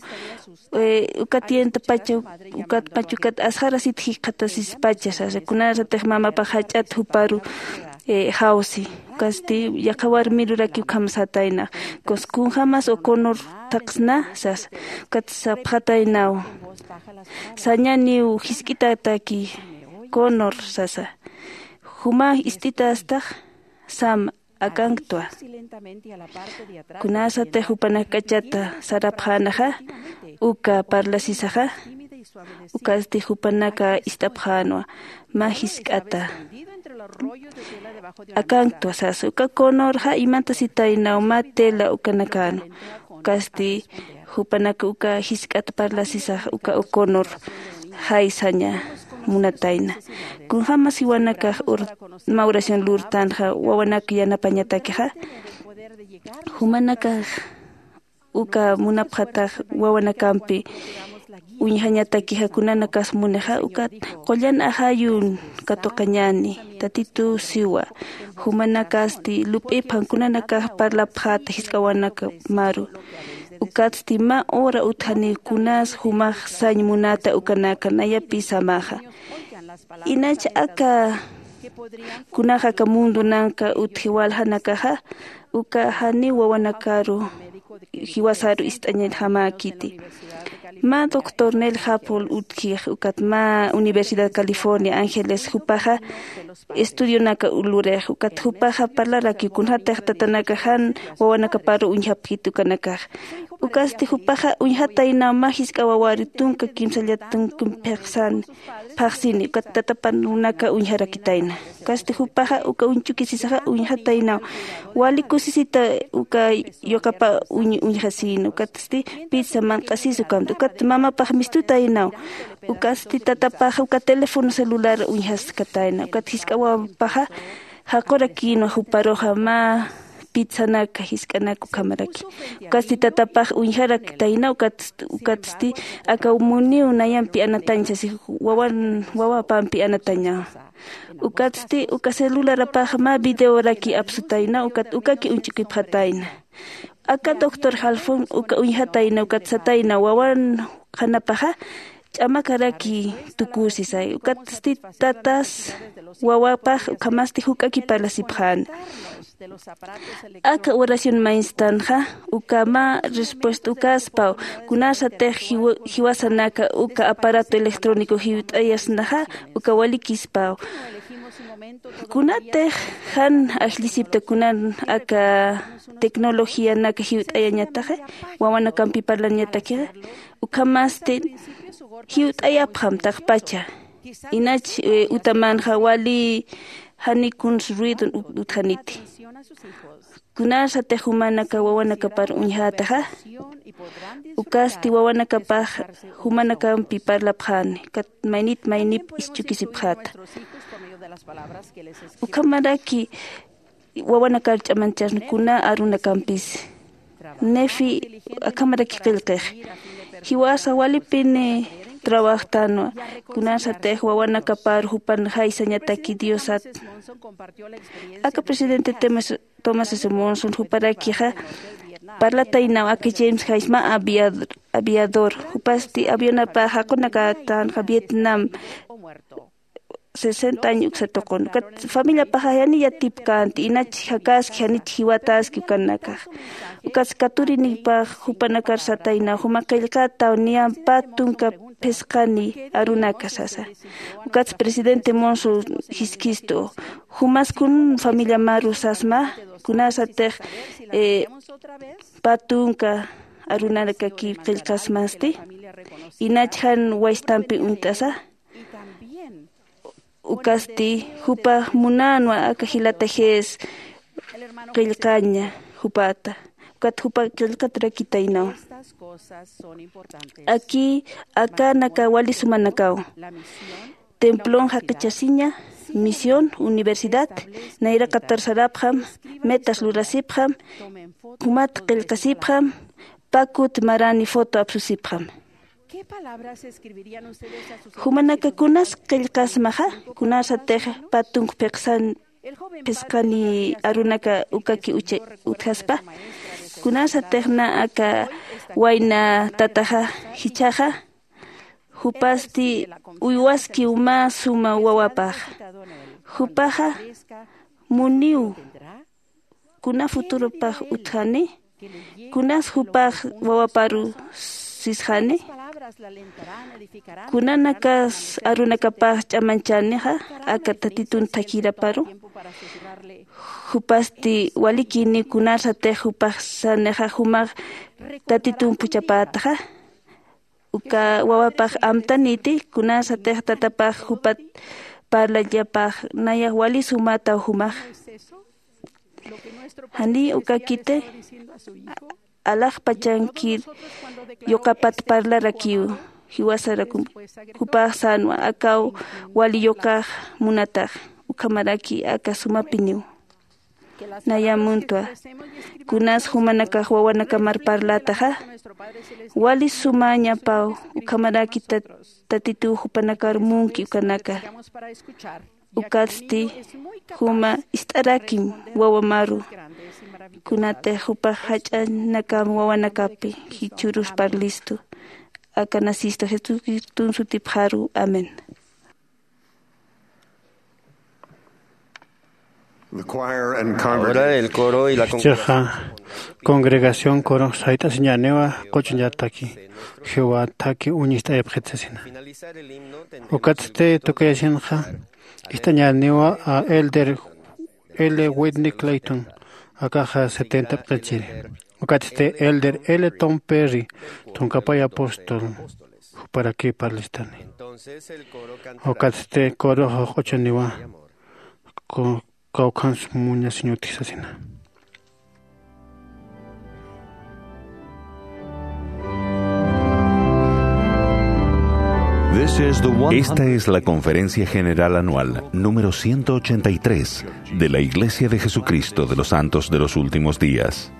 eh, uka tientapacha ukat pachukat asxarasit jikxatasispacha sasa kunasatix mamapax jach'at juparu, eh, jawsi. Ukasti yaqha warmiruraki ukham satayna kunjamas o Connor thaqsna sasa. Ukat sapxataynaw sañaniw jisk'itataki Connor sasa. Juma ist'itastax sam akanktwa. Kunasatix jupanak k'achata sarapxänaxa uka parlasisaxa ukasti jupanaka ist'apxänwa mä jisk'ata akanktwa sasa uka Connorxa imantasitaynaw mä tela ukanakäna. Ukasti jupanaka uka jisk'at parlasisax uka O'Connor jaysaña munatayna. Kunjämas jiwanakax mä oración lurtanxa wawanak yanapañatakixa jumanakax uka munapxatax wawanakampi uñjañatakixa kunanakas munixa ukat qullan ajayun katuqañani tatitu siwa jumanakasti lup'ipxan kunanakax parlapxata jisk'awanaka maru. Ukatsti mä hora utjani kunas jumax sañ munata ukanaka nayapi samaxa inach aka kunax aka mundunanka utji waljanakaxa uka janiw wawanakaru jiwasaru ist'añjamäkiti. Mä doctor Nel Hapol utjix ukat mä Universidad California Ángeles jupaxa estudionaka lurix ukat jupaxa parlarakiw kunjatix tatanaka jan wawanakaparu uñjapkit ukanakax. Ukasti jupaxa uñjataynaw mä jisk'a wawari tunka kimsallat tunkum phaxsani phaxsini ukat tatapanunaka uñjarakitayna. Ukasti jupaxa uka uñchukisisaxa uñjataynaw wali kusisita uka yuqapa uñjasina ukatsti pizza manq'asis ukamta ukat mamapax mistutaynaw. Ukatsti tatapaxa uka teléfono celular uñjaskatayna ukat jisk'a wawapaxa jaqurakïnwa juparuxa mä pizzanaka jisk'anak ukhamaraki. Ukatsti tatapax uñjaraktayna ukatsti aka muniw nayampi anatañ sasi wawan wawapampi anatañawa. Ukatsti uka celularapax mä videoraki apsutayna ukat ukaki uñch'ukipxatayna. Aka doctor Halfon uka uñjatayna ukat satayna wawan qhanapaxa ch'amakaraki tukusisay ukatsti tatas wawapax ukhamasti juk'aki parlasipxäna. Aka oración mainstanxa uka mä respuesta ukaspaw kunasatix jiwasanaka uka aparato electrónico jiwt'ayasnaxa uka walikispaw. Kunatix jan ajllisipta kunan aka tecnologianaka jiwt'ayañataxa wawanakampi parlañatakixa ukhamasti jiwt'ayapxam taqpacha inach utamanxa wali jani kuns ruidon utjaniti. Kunasatix jumanaka wawanakapar uñjätaxa ukasti wawanakapax jumanakampi parlapxäni kat maynit maynip ischukisipxäta. Ukhamaraki wawanakar ch'amanchasna kuna arunakampis nefi akhamaraki qillqix jiwasa walipini trabajtanwa. Kunasatix wawanakapar jupan jaysañataki diosat aka presidente tomás s monson juparakixa parlataynaw aka james jaysma aviador jupasti avionapax jaqunakatänxa vietnam sesenta año uksa tuqun ukat familiapaxa jani yatipkänti inach jakaski janich jiwataski ukanakax. Ukat katurinipax jupanakar sataynaw juma qillqataw niyam pä tunka phisqani arunaka sasa. Ukat presidente monso jiskistu jumas kun familia maru sasma kunasatix pä tunka arunanakakiw qillqasmasti inach jan waystampi uñt'asa. Ukasti jupax munänwa aka jilata jess qillqaña jupata ukat jupa qillqaturakitaynaw. Aki akanaka wali sumanakaw templon jaqichasiña misión universidad nayraqatar sarapxam metas lurasipxam jumat qillqasipxam pakut marani foto apsusipxam. Jumanaka kunas qillqasmaxa kunasatix pä tunk phiqsan phisqani arunaka ukaki ucha utjaspa. Kunasatix na aka wayna tataxa jichhaxa, jupasti uywaskiw mä suma wawapax. Jupaxa muniw kuna futuropax utjani, kunas jupax wawaparu sisxani, kunanakas arunakapax ch'amanchänixa aka Tatitun thakiraparu. Jupasti walikini kunasatix jupax sanixa jumax Tatitun phuchhapätaxa. Uka wawapax amtaniti, kunasatix tatapax jupat parlallapax nayax wali sumätaw jumax. Janiy ukakiti alaxpachankir yuqapat parlarakiw, jiwasarakum jupax sänwa akaw wali yuqax munatax, ukhamaraki aka sumapiniw. Naya muntwa, kunas jumanakax wawanakamar parlätaxa, wali sumäñapaw, ukhamaraki tat-, Tatituw jupanakar munki ukanaka. Ukatsti juma ist'arakim wawamaru, kunatix jupax jach'anakam wawanakapi jichhürus parlistu. Aka nacista Jesucriston sutipxaru. Amén. The choir and Ahora congregation. El coro y la Jichhaxa congregación coro sayt'asiñäniwa quchuñataki, Jehová thaki uñist'ayapxit sasina. Ukatsti tukuyasinxa ist'añäniwa a Elder L. Whitney Clayton, akaxa setenta p'ichiri. Ukatsti Elder L. Tom Perry, tunkapay apóstol, juparaki parlistani. Ukatsti coroxa quchuniwa, ku-, kawkhans muñasiñutki sasina. This is the one hundred Esta es la Conferencia General Anual número ciento ochenta y tres de la Iglesia de Jesucristo de los Santos de los Últimos Días.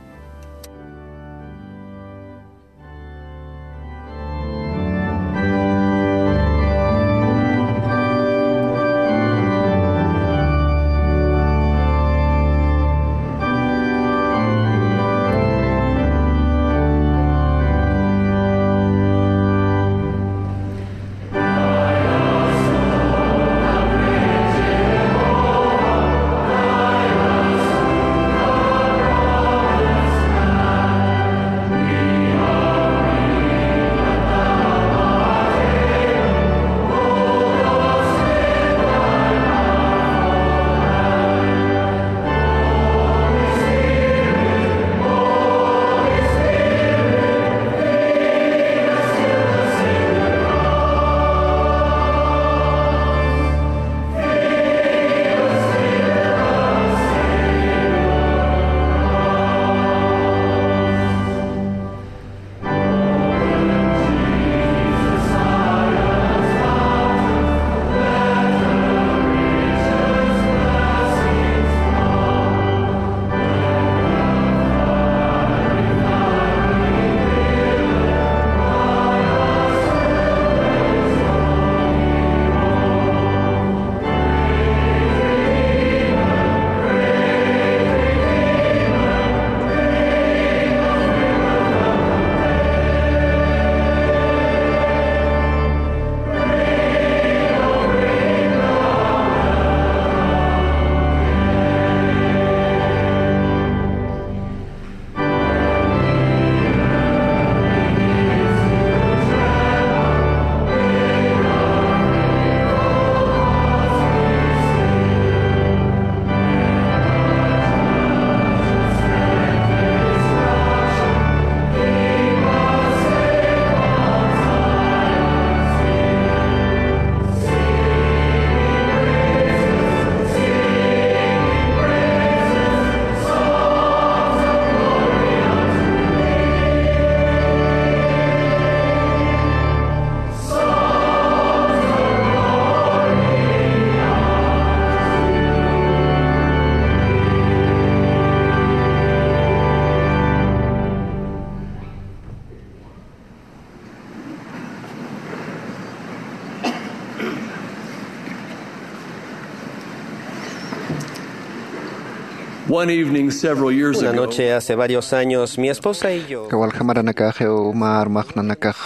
One evening several years Una ago, noche hace varios años, mi esposa y yo Kawal jamaranakaxiw mä armax nanakax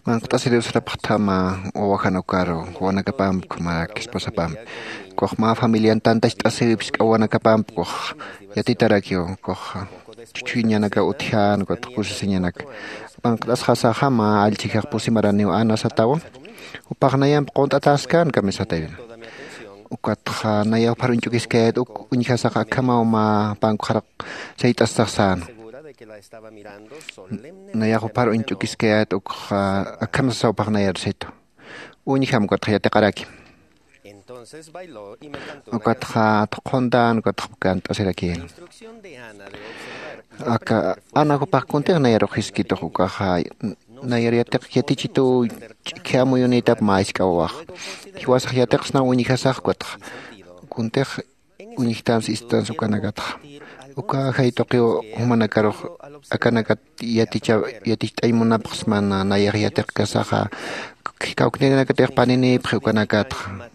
manqt'asiriw sarapxthama wawajan ukaru wawanakapamp, mä esposapamp. Kux mä familian tantacht'asiw jisk'a wawanakapamp kux yatitarakiw kux chuchhuñanaka utjan, kux kusisiñanaka. Manqt'asxasaxa mä allchhixax pusi maraniw Ana satawa. Jupax nayamp qunt'ataskän kamisatayna. Ukatxa nayaw phar uñch'ukiskayät uk uñjasax akhamaw mä pankuxaraq sayt'astax säna. Nayax juphar uñch'ukiskayät ukxa akham sasaw phaxnayar situ. Uñjam ukatxa yatiqarakim. Ukatxa thuqhuntan ukatxa kant'asirakïna. Aka Ana jupax kuntix nayarux jiskitux ukaxa nayar yatiq yatichituw ch'ikhi amuyunïtap mä jisk'a wawax. Jiwasax yatiqsnaw uñjasax ukatxa kuntix uñjtansa ist'tansa ukanakatxa. Uka ajay tuqiw jumanakarux akanakat yaticha yaticht'añ munapxsmana nayax yatiqkasaxa kawknirinakatix paninïpxi ukanakatxa.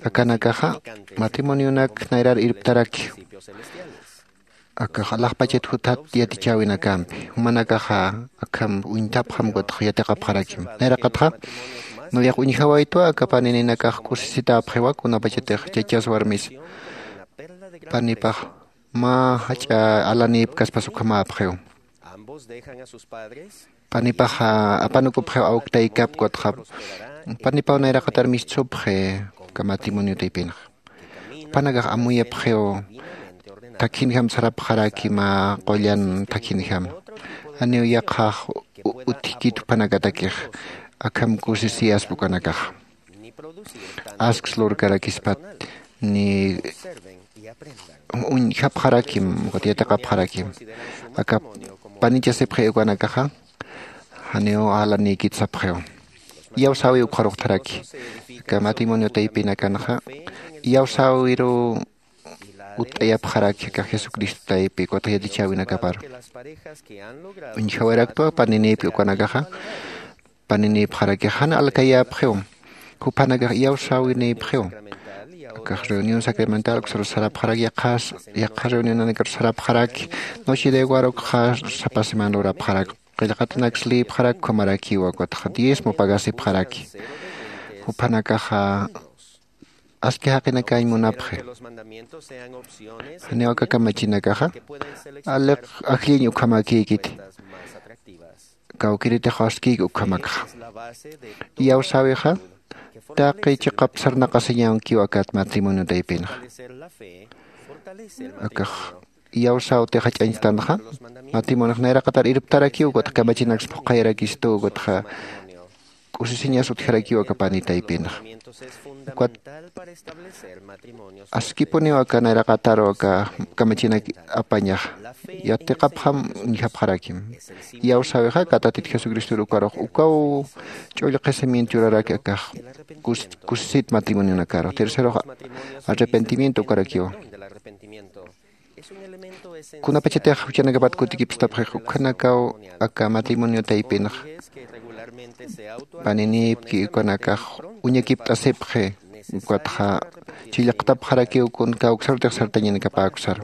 Akanakaxa matrimonionak nayrar irptaraki. Akax alaxpachat juthat yatichäwinakampi jumanakaxa akham uñtapxam ukatxa yatiqapxarakim. Nayraqatxa nayax uñjawaytwa aka panininakax kusisitäpxiwa kunapachatix chachas warmis panipax mä jach'a alanïpkaspas ukhamäpxiw. Panipaxa apanukupxiw awktaykap ukatxa panipaw nayraqatar mistsupxi. Aka matrimonio taypinxa jupanakax amuyapxiw thakhinjam sarapxaraki mä qullan thakhinjam. Janiw yaqhax utjkit jupanakatakix akham kusisiyaspa ukanakaxa. Asks lurkarakispat ni uñjapxarakim ukat yatiqapxarakim. Aka panichasipxi ukanakaxa janiw alanïkit sapxiw. Iyawsäwi ukxaruxtharaki. Aka matrimonio taypinakanxa iyawsäwiruw utt'ayapxaraki aka jesucristo taypi ukatxa yatichäwinakaparu. Uñjawayraktwa paninïpki ukanakaxa paninïpxarakix jan alkayäpxiw. Juphanakax iyawsäwinïpxiw. Akax reunión sacramental uksaru sarapxarak yaqhas yaqha reunionanakaru sarapxaraki. Noche de guarukxa sapa semana lurapxarak qillqatanaks lïpxarak ukhamarakiwa ukatxa diezmo pagasipxaraki. Juphanakaxa aski jaqinakañ munapxi. Janiw aka kamachinakaxa aliq ajlliñ ukhamäkïkiti. Kawkïritix askïki ukhamakxa. Iyawsäwixa taqi chiqap sarnaqasiñankiw akat matrimonio taypinxa. Akax iyawsäwtix jach'añchtanxa matrimoniox nayraqatar irptarakiw ukatxa kamachinaks phuqhayarakistuw ukatxa k'usisiñas utjarakiw aka pani taypinxa. Ukat askipuniw aka nayraqataru aka kamachinak apañaxa. Yatiqapxam uñjapxarakim. Iyawsäwixa katatit jesucristor ukarux ukaw ch'ullqisimiento churaraki akax kusisit matrimonionakaru tercerox arrepentimiento ukarakiwa. Kunapachatix juchanakapat kutikipstapxix ukhanakaw aka matrimonio taypinxa paninïpki ukanakax uñakipt'asipxi. Ukatxa chillqtapxarakiw kun kawksarutix sartañanakapäksaru.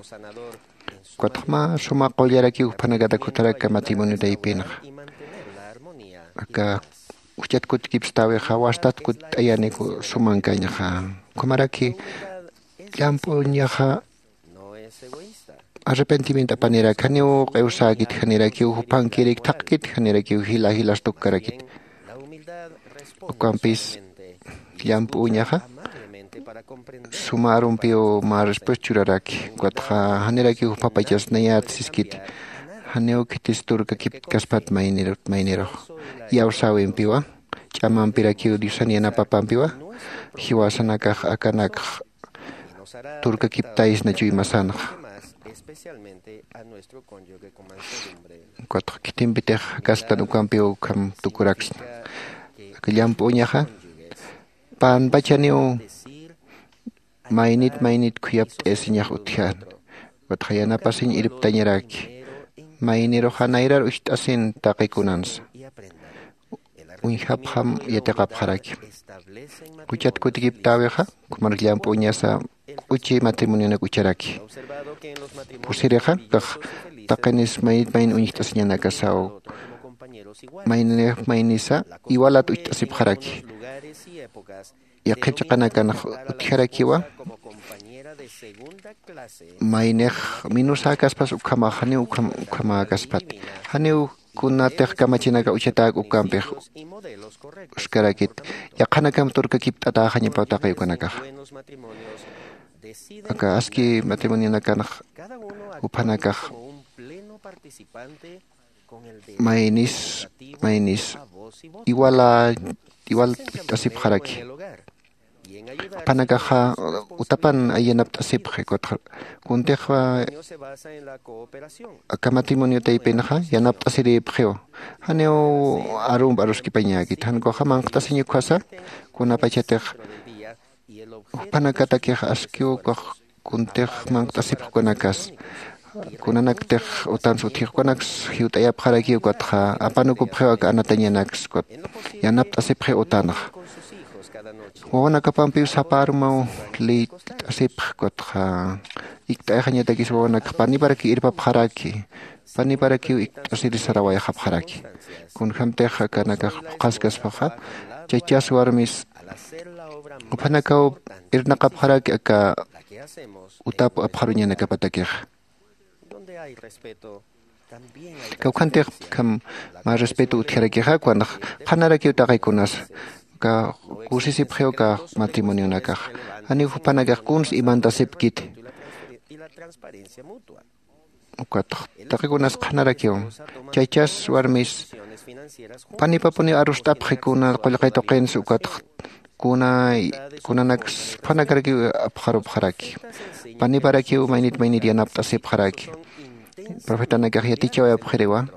Ukatxa mä suma qullarakiw juphanakatak jutharak aka matrimonio taypinxa. Aka juchat kutkipstäwixa wastat kutt'ayaniku sumankañxa. Ukhamaraki llamp'uñaxa arrepentimiento apanirak janiw q'iwsäkit janirakiw jupankirïk thaqkit janirakiw jila jilas tukkarakit. Ukampis llamp'uñaxa suma arumpiw mä respuesta churaraki. Ukatxa janirakiw jupapachas nayät siskiti. Janiw khitis turkakiptkaspat maynirut maynirux iyawsäwimpiwa ch'amampirakiw diosan yanapapampiwa jiwasanakax akanakx turkakiptaysna chuymasanxa. Ukatxa khitimpitix jakasktan ukampiw ukham tukuraksna. Aka llamp'uñaxa panpachaniw maynit maynit khuyapt'ayasiñax utjän. Ukatxa yanapasiñ irptañaraki mayniruxa nayrar ucht'asin taqi kunansa. uñjapxam yatiqapxaraki. Juchat kutikiptäwixa, ukhamar llamp'uñasa k'uchi matrimonionak ucharaki. Pusirixa, kax taqinis maynit mayn uñjt'asiñanakasaw, maynix maynisa iwalat ucht'asipxaraki. Yaqhip chiqanakanx utjarakiwa, maynix minusäkaspas ukhamax, janiw ukham ukhamäkaspati. Janiw kunatix kamachinaka uchatäk ukampix uskarakit, yaqhanakamp turkakipt'atäxañapaw taqi ukanakaxa. Aka aski matrimonionakanx juphanakax maynis maynis iwala iwal ucht'asipxaraki. Jupanakaxa utapan ay yanapt'asipxi, ukatxa kuntix aka matrimonio taypinxa yanapt'asirïpxiw. Janiw arump aruskipañäkit, jan ukaxa manqt'asiñ ukhasa, kunapachatix jupanakatakix askiw ukax kuntix manqt'asipxi ukanakas. Kunanaktix utans utjix ukanaks jiwt'ayapxarakiw, ukatxa apanukupxiw aka anatañanaks, ukat yanapt'asipxiw utanxa. Wawanakapampiw sapa arumaw liyt'asipxi, ukatxa ikt'ayxañatakis wawanakx paniparakiw irpapxaraki, paniparakiw ikt'asiri sarawayxapxaraki. Kunjämtix akanakax phuqhaskaspaxa, chachas warmis juphanakaw irnaqapxaraki aka utap apxaruñanakapatakixa. Kawkhantix ukham mä respeto utjarakixa, kunanax qhanarakiw taqi kunasa, uka kusisipxiw uka matrimonionakax. Janiw jupanakax kuns imantasipkiti. Ukatx taqi kunas qhanarakiw. Chachas warmis panipapuniw arust'apxi kuna qullqi tuqins, ukatx kuna kunanaks juphanakarakiw apxarupxaraki. Paniparakiw maynit maynit yanapt'asipxaraki. Profetanakax yatichawayapxiriwa,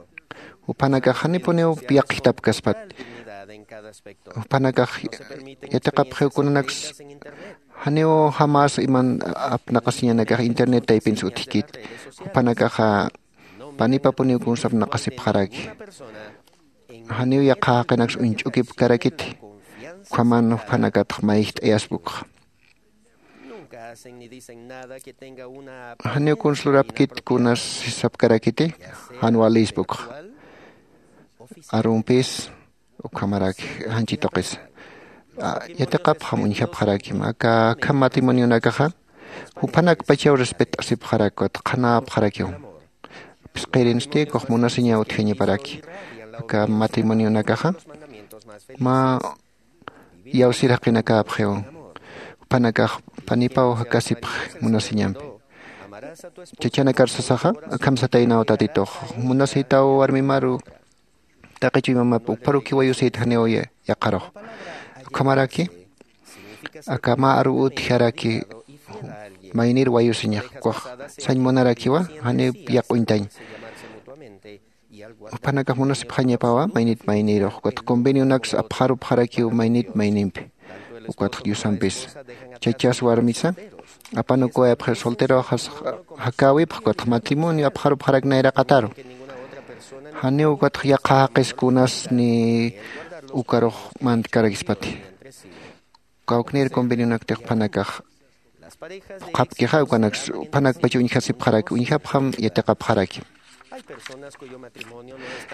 juphanakax janipuniw yaqhitapkaspat. Juphanakax yatiqapxiw kunanaks janiw jamas iman apnaqasiñanakax internet taypins utjkit. Jupanakaxa panipapuniw kuns apnaqasipxaraki. Janiw yaqha jaqinaks uñch'ukipkarakiti, ukhaman juphanakatx mayjt'ayaspa ukxa. Janiw kuns lurapkit kunas sapkarakiti, jan walispa ukxa. Arumpis ukhamaraki janchi tuqisa. Yatiqapxam uñjapxarakim aka akham matrimonionakaxa, juphanakpachaw respet'asipxarak, ukat qhanäpxarakiw. Phisqirinsti ukax munasiñaw utjañaparaki. Aka matrimonionakaxa mä iyawsir jaqinakäpxiw. Juphanakax panipaw jakasipxi munasiñampi. Chachanakar sasaxa, akham sataynaw tatitux, munasïtaw warmimaru, taqi chuymamap ukpharukiw wayusït janiw yaqharux. Ukhamaraki aka mä aruw utjaraki maynir wayusiñax, ukax sañ munarakiwa, janiw yaq'uñtañ. Juphanakax munasipxañapawa maynit maynirux, ukat convenionaks apxarupxarakiw maynit maynimpi. Ukatx Diosampis chachas warmisa apanukuwayapxi, solteroxas jakäwipxi, ukatx matrimonio apxarupxarak nayraqataru. Janiw ukatx yaqha jaqis kunas ni ukarux mantkarakispati. Kawknir convenionaktix juphanakax phuqhapkixa, ukanaks juphanakpach uñjasipxaraki, uñjapxam yatiqapxaraki.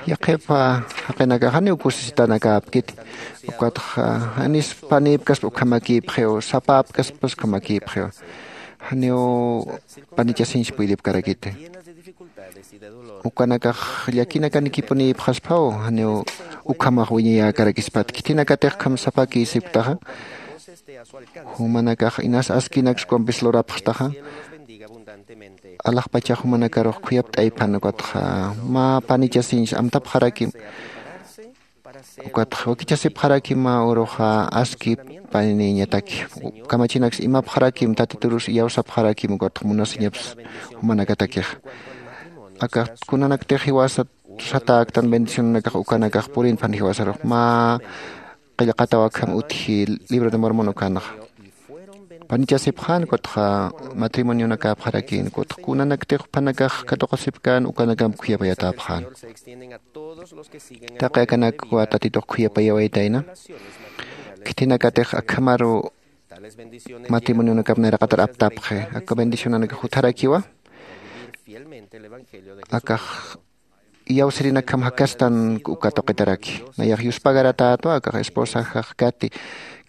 Yaqhip jaqinakax janiw kusisitanakäpkiti, ukatx janis panïpkaspa ukhamakïpxiw, sapäpkaspas ukhamakïpxiw. Janiw panichasiñs puydipkarakiti. Ukanakax llakinakanikipunïpxasphaw, janiw ukhamax wiñayäkarakispat. Khitinakatix ukham sapakïsipktaxa, jumanakax inas askinaks ukampis lurapxtaxa, alaxpachax jumanakarux khuyapt'ayphan, ukatxa mä panichasiñs amtapxarakim, ukatxa wakichasipxarakim mä uruxa aski paniniñataki. Kamachinaks imapxarakim, tatiturus iyawsapxarakim, ukatxa munasiñaps jumanakatakixa. Aka kunanaktix jiwasa satäktan bendicionanakax ukanakax purinphan jiwasarux, mä qillqataw akham utji Libro de Mormon ukanxa. panichasipxän kutxa matrimonionakäpxarakin kutxa kunanaktix juphanakax katuqasipkän ukanakamp khuyapayatäpxän. Taqi akanakwa tatitux khuyapayawaytayna. Khithinakatix akhamaru matrimonionakap nayraqatar aptapxi aka bendicionanakax jutharakiwa. Akax iyawsirinakham jakastan uka tuqitaraki nayax yuspagaratätwa akax esposajax kati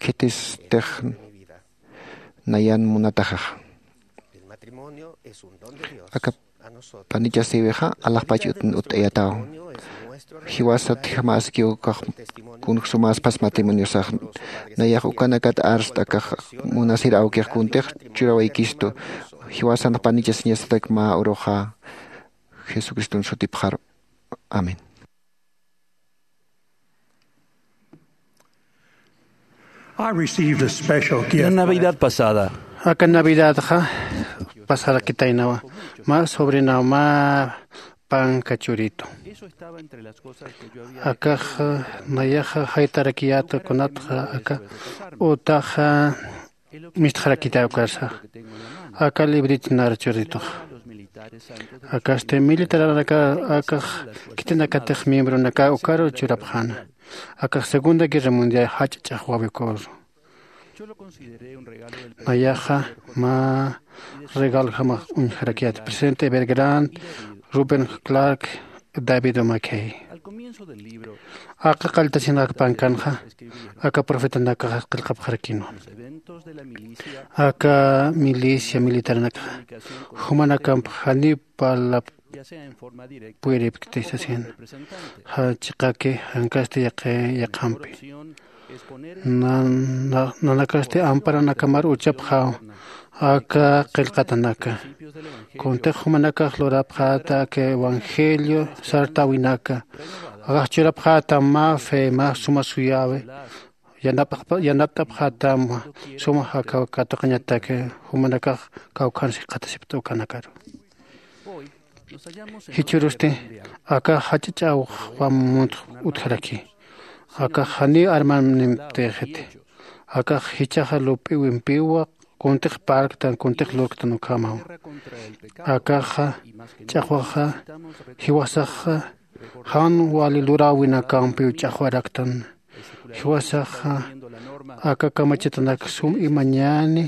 khitistix nayan munatajaxa. Aka panichasïwixa alaxpach ut'ayataw. Jiwasatjamaskiw kax kunjsumaspas matrimoniosax nayax ukanakat arst'akax munasir awkix kuntix churawaykistu. Jiwasan panichasiñasatak mä uruxa jesucriston sutipxaru. Amén. I received a special gift. La Navidad pasada. Aka navidadxa pasarakitaynawa mä sobrinaw mä panka churitu. Akax nayaxa jaytarakiyäta kunatxa aka utaxa mistxarakitay ukarsa aka librito nar churituxa. Akasti militaranaka akax khitinakatix miembronaka ukaru churapxäna. Akax segunda guerra mundial jach'a ch'axwäwi ukaru nayaxa mä regaljamax uñjarakiyäta presidente Evergrand, Ruben Clark, David Mackay. Aka qalltasinaka pankanxa aka profetanakaxa qillqapxarakinwa. Aka milicia militaranakaxa jumanakamp janiw parlap puyripkti sasin. Jan chiqaki jankasti yaqi yaqhampi nanakasti amparanakamar uchapxaw. Aka qillqatanaka kuntix jumanakax lurapxäta aka evangelio sartäwinaka. Akax churapxäta mä fe mä suma suyäwi. Yanapt'apxätam suma jakaw katuqañataki jumanakax kawkhansi qhatasipta ukanakaru. Jichhürusti akax jach'a ch'axwam muntx utjaraki. Akax janiw armanimtixiti. Akax jichhaxa lup'iwimpiwa kuntix parktan kuntix lurktan ukhamaw. Akaxa ch'axwaxa jiwasaxa jan wali luräwinakampiw ch'axwaraktan. Jiwasaxa aka kamachitanak sum imañäni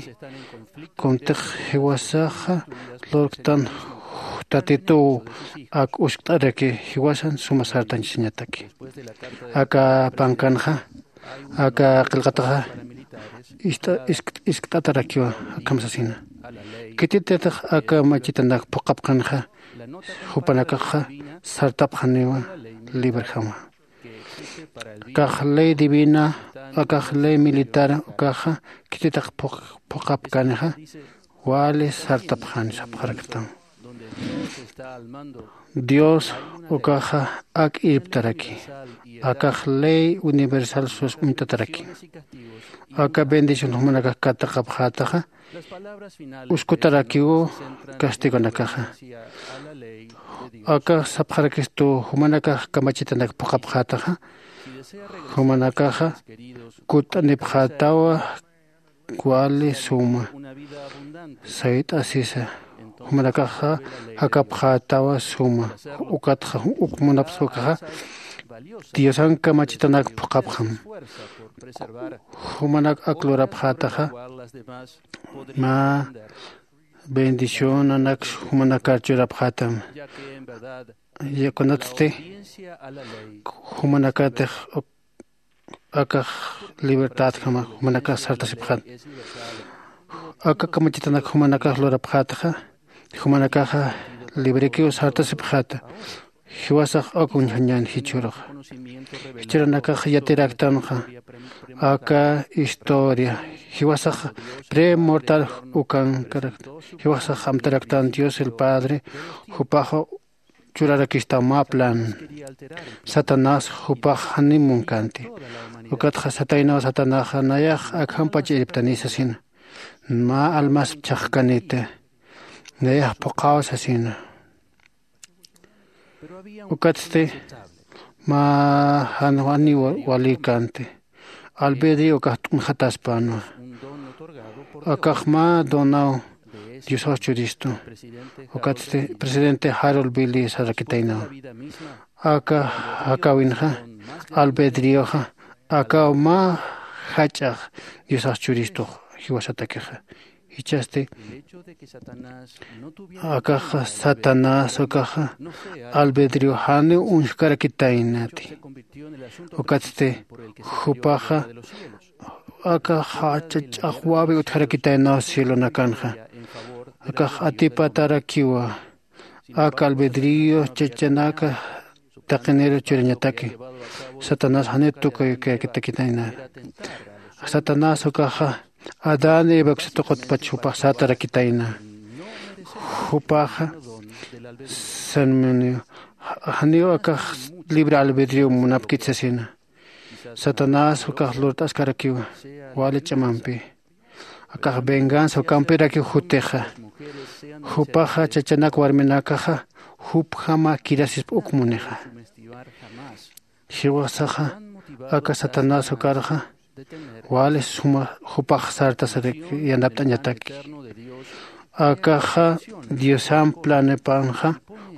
kuntix jiwasaxa lurktan tatituw ak uskt'araki jiwasan suma sartañchasiñataki. Aka pankanxa aka qillqataxa iskt'atarakiwa. Akham sasina khititatix aka machitanak phuqhapxanixa jupanakaxa sartapxaniwa librjama. Akax ley divina akax ley militar ukaxa khititax phuqhapkanixa wali sartapxani sapxaraktam. Dios ukaxa ak irptaraki akax ley universal sus uñtataraki. Aka bendición jumanakax katuqapxätaxa uskutarakiw castigonakaxa. Akax sapxarakistu jumanakax kamachitanak phuqhapxätaxa jumanakaxa kutt'anipxätawa wali suma sayt'asisa jumanakaxa jakapxätawa suma. Ukatxa uk munapxswakaxa diosan kamachitanak phuqhapxam. Jumanak ak lurapxätaxa mä bendicionanak jumanakar churapxätam. Kunatsti jumanakatix akax libertadjama jumanakax sartasipxäta. Aka kamachitanak jumanakax lurapxätaxa jumanakaxa librekiw sartasipxäta. Jiwasax uk uñjañän jichhüruxa jichhüranakax yatiraktanxa aka historia jiwasax premortal ukankarakta. Jiwasax amtaraktan dios el padre jupaxa churarakistaw mä plan. Satanás jupax janiw munkänti. Ukatxa sataynaw satanaxa nayax akjampach irptani sasina. Mä almasp chhaqkaniti nayax phuqhaw sasina. Ukatsti mä jan janiw walïkänti. Albedrío ukax t'unxataspänwa. Akax mä donaw diosax churistu. Ukatsti presidente Harold Billy sarakitaynaw. Aka jakawinxa albedrioxa akaw mä jach'ax diosax churistux jiwasatakixa. Jichhasti akaxa satanás ukaxa albedrio janiw uñjkarakitaynati. Ukatsti jupaxa akaxa ch'axwawi utjarakitaynaw cielonakanxa. Akax atipatarakiwa aka albedrio chachanaka taqiniru churañataki. Satanás janiw tukuykarakitayna. Satanás ukaxa adán y evaksatuqutpach jupax satarakitayna. Jupaxa sanmunio janiw akax libre albedrio munapkit sasina. Satanás ukax lurt'askarakiwa wali ch'amampi. Akax venganza ukampirakiw jutixa. Jupaxa chachanak warminakaxa jupjama kirasisp uk munixa. Jiwasaxa aka satanás ukarxa wali suma jupax sartasarik yanapt'añataki. Akaxa diosan planepanxa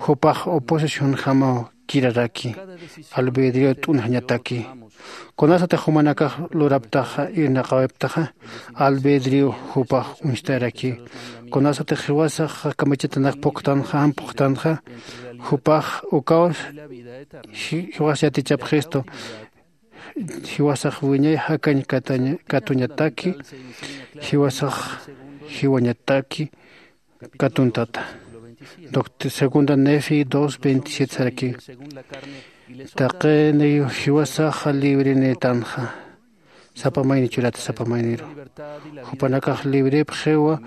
jupax oposicionjamaw kiraraki albedrio t'unjañataki. Kunasatix jumanakax luraptaxa irnaqawiptaxa albedrio jupax uñstarakiw. Kunasatix jiwasax kamachitanak puktanxa jan puktanxa jupax ukaw jiwas yatichapxistu. Jiwasax wiñay jakañ katuñataki jiwasax jiwañataki katuntata. Segunda nefi dos veintisiete saraki. Taqiniw jiwasaxa librenïtanxa sapa mayni churata sapa mayniru. Jupanakax librepxiwa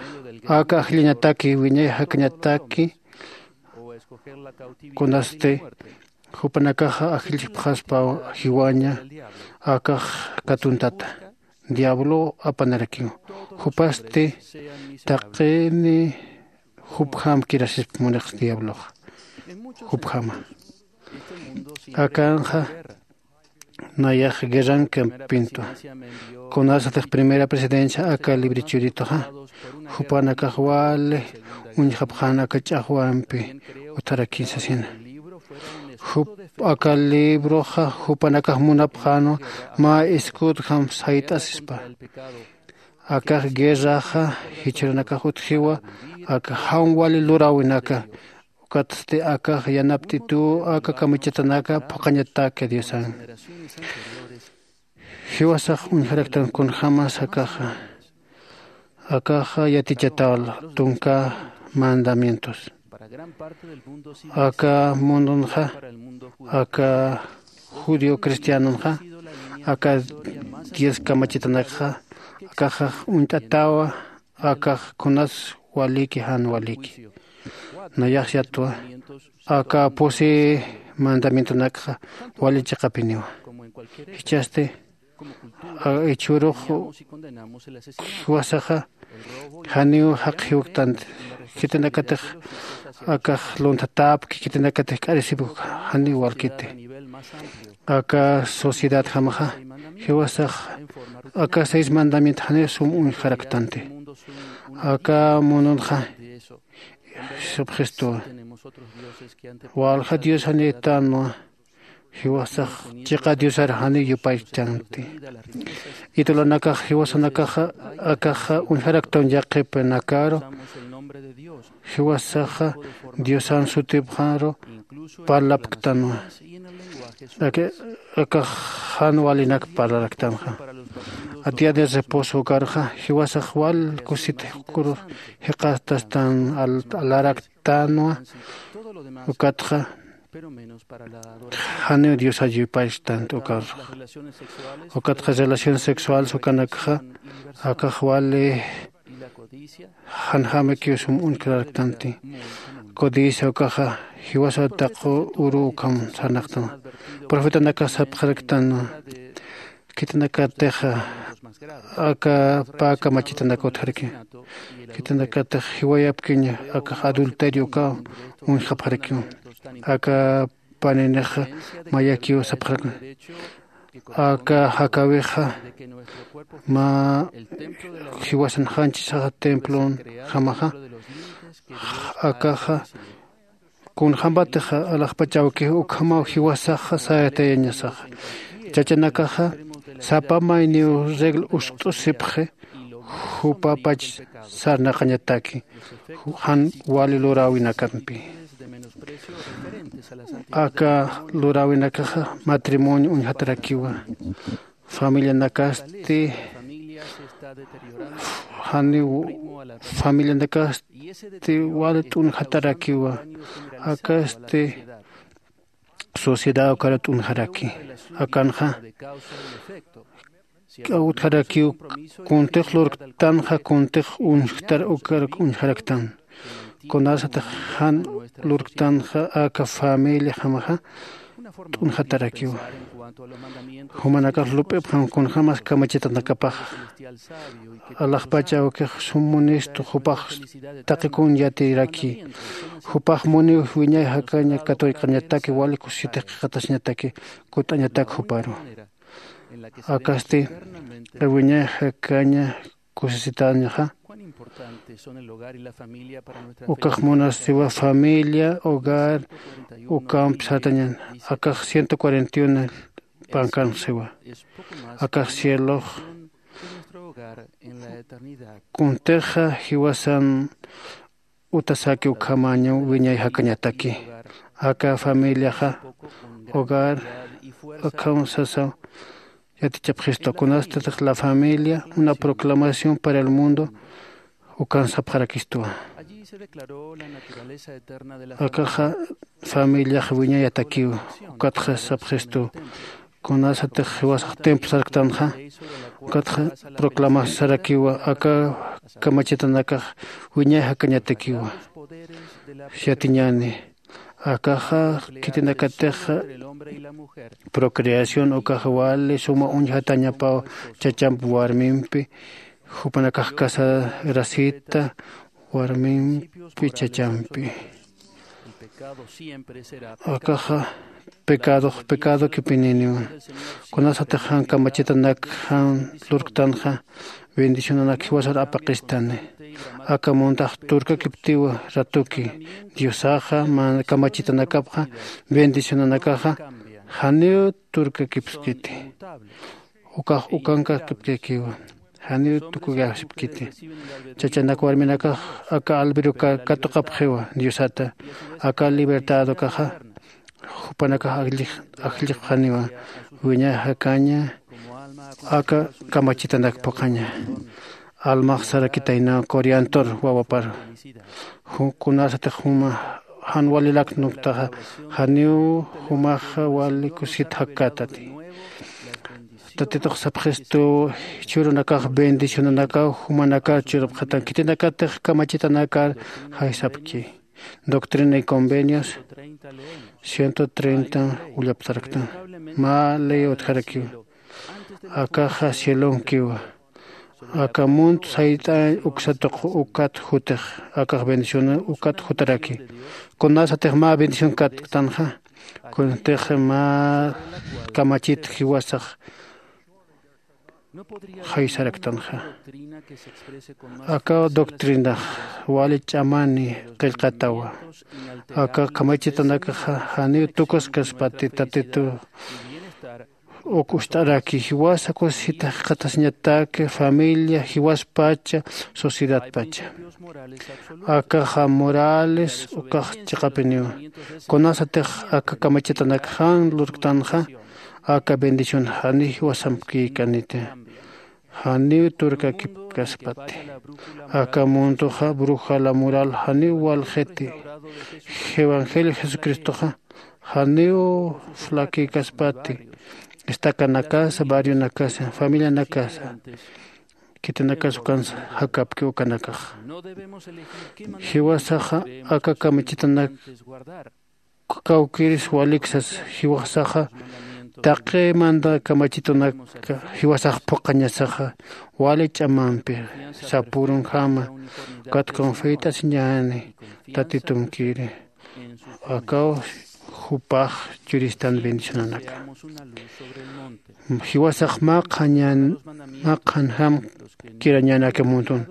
aka ajllañataki wiñay jakañataki. Kunasti jupanakaxa ajllpxaspaw jiwaña akax katuntata diablow apanarakiw. Jupasti taqini jupjam kirasisp munix diabloxa jupjama. Akanxa nayax guerrankampintwa. Kunasatix primera presidencia aka librechurituxa jupanakax wali uñjapxan aka ch'axwampi utarakin sasina. Jup aka libroxa jupanakax munapxänwa mä escudjam sayt'asispa. Akax guerraxa jichhürunakax utjiwa aka jan wali luräwinaka. Ukatsti akax yanapt'ituw aka kamachatanaka phuqhañataki diosan. Jiwasax uñjaraktan kunjämas akaxa akaxa yatichataw tunka mandamientos. Aka mundunxa aka judío cristianonxa aka diez kamachitanakxa akaxax uñt'atawa. Akax kunas waliki jan waliki nayax yatwa aka pusi mandamientonakxa wali chiqapiniwa. Jichhasti ichhürux jiwasaxa janiw jaqi jiwktanti. Khitinakatix akax lunthatäpki khitinakatix k'arisipki janiw walkiti. Aka sociedadjamaxa jiwasax aka seis mandamiento janiw sum uñjaraktanti. Aka mununxa supxistuwa walja dios janïtanwa. Jiwasax chiqa diosar janiw yupaychtanti. Idulanakax jiwasanakaxa akaxa uñjaraktan yaqhipinakaru jiwasaxa diosan sutipxaru parlapktanwa. Akax jan walinak parlaraktanxa. Atiya de reposo ukarxa jiwasax wal kusit jiqastastan alaraktanwa. Ukatxa janiw diosar yupaychtant ukarxa. Ukatxa relaciones sexuales ukanakxa akax wali janjämikiw sum uñjkararaktanti. Codicia ukaxa jiwasaw taqi uru ukham sarnaqtanwa. Profetanakax sapxaraktanwa khitinakatix aka pä kamachitanak utjaraki. Khitinakatix jiwayapkiña akax adulterio ukaw uñjapxarakiw. Aka paninixa mayakiw sapxarakna. Aka jakawixa mä jiwasan janchisaxa templon jamaxa, akaxa kunjämpatixa alaxpach awkix ukhamaw jiwasaxa sayatayañasaxa. Chachanakaxa sapa mayniw regla ust'usipxi jupapach sarnaqañataki jan wali luräwinakampi. Aka luräwinakaxa matrimonio uñjatarakiwa. Familianakasti janiw familianakasti wali t'unjatarakiwa. Akasti sociedad ukara t'unjaraki. Akanxa utjarakiw kuntix lurktanxa kuntix uñjtar ukar uñjaraktan. Kunasatix jan lurktanxa aka familia jamaxa t'unjatarakiwa. Jumanakax lup'ipxam kunjämas kamachitanakapaxa alaxpach awkix sum munistu jupax taqikun yatiraki. Jupax muniw wiñay jakaña katuyk'añataki wali kusisitix qhiqatasiñataki kut'añatak juparu. Akasti wiñay jakaña kusisitañaxa ukax munasiwa familia hogar ukamp sartañan. Akax ciento cuarenta y uno pankanxsiwa. Akax cielox kuntixa jiwasan utasaki ukhamañaw wiñay jakañataki. Aka familiaxa hogar ukham sasaw yatichapxistu. Kunastatix la familia una proclamación para el mundo ukan sapxarakistuwa. Akaxa familiax wiñayatakiw ukatxa sapxistu. Kunasatix jiwasax templo sarktanxa ukatxa proclamasarakiwa aka kamachitanakax wiñay jakañatakiwa. Yatiñani akaxa khitinakatix procreación ukax wali suma uñjatañapaw chachamp warmimpi jupanakax casarasita warmimpi chachampi. Akaxa pecadox pecado kipininiwa. Kunasatix jan kamachitanak jan lurktanxa bendicionanak jiwasar apaqistani. Aka muntax turkakiptiwa ratuki diosaxa kamachitanakapxa bendicionanakaxa janiw turkakipskiti. Ukax ukankakipkakiwa janiw tukukaxipkiti. Chachanak warminakax aka albiruka katuqapxiwa diosata. Aka libertad ukaxa jupanakax ajllixxaniwa wiñay jakaña aka kamachitanak phuqhaña. Almax sarakitaynaw coriantor wawapar kunasatix juma jan walilak nuktaxa janiw jumaxa wali kusit jakkätati. Tatitux sapxistu jichhürunakax bendicionanakaw jumanakar churapxatan khitinakatix kamachitanakar jaysapki. Doctrina y convenios ciento treinta ullaptaraktan. Mä ley utjarakiwa. Akaxa cielonkiwa. Aka munt sayt'añ uksatuq ukat jutix akax bendición ukat jutaraki. Kunasatix mä bendición kattanxa kuntix mä kamachit jiwasax jaysaraktanxa. Aka doctrinax wali ch'amani qillqatawa. Aka kamachitanakaxa janiw tukuskaspati tatitu uk ucht'araki jiwasa kusisita jikxatasiñatak familia jiwaspacha sociedadpacha. Akaxa morales ukax chiqapiniwa. Kunasatix aka kamachitanak jan lurktanxa aka bendición janiw jiwasampkïkaniti. Janiw turkakipkaspati. Aka muntuxa brujala mural janiw walxiti. Evangelio jesucristoxa janiw flakïkaspati. Estacanakasa barrionakasa familianakasa khitinakas ukansa jakapki ukanakax. Jiwasaxa aka kamachitanak kawkiris waliksas jiwasaxa taqi manda kamachitunak jiwasax phuqhañasaxa wali ch'amampi sapürunjama ukat confeyt'asiñäni tatitumkiri. Akaw jupax churistan bendicionanaka. Jiwasax maqhañan maqhanjam kirañanaka muntun.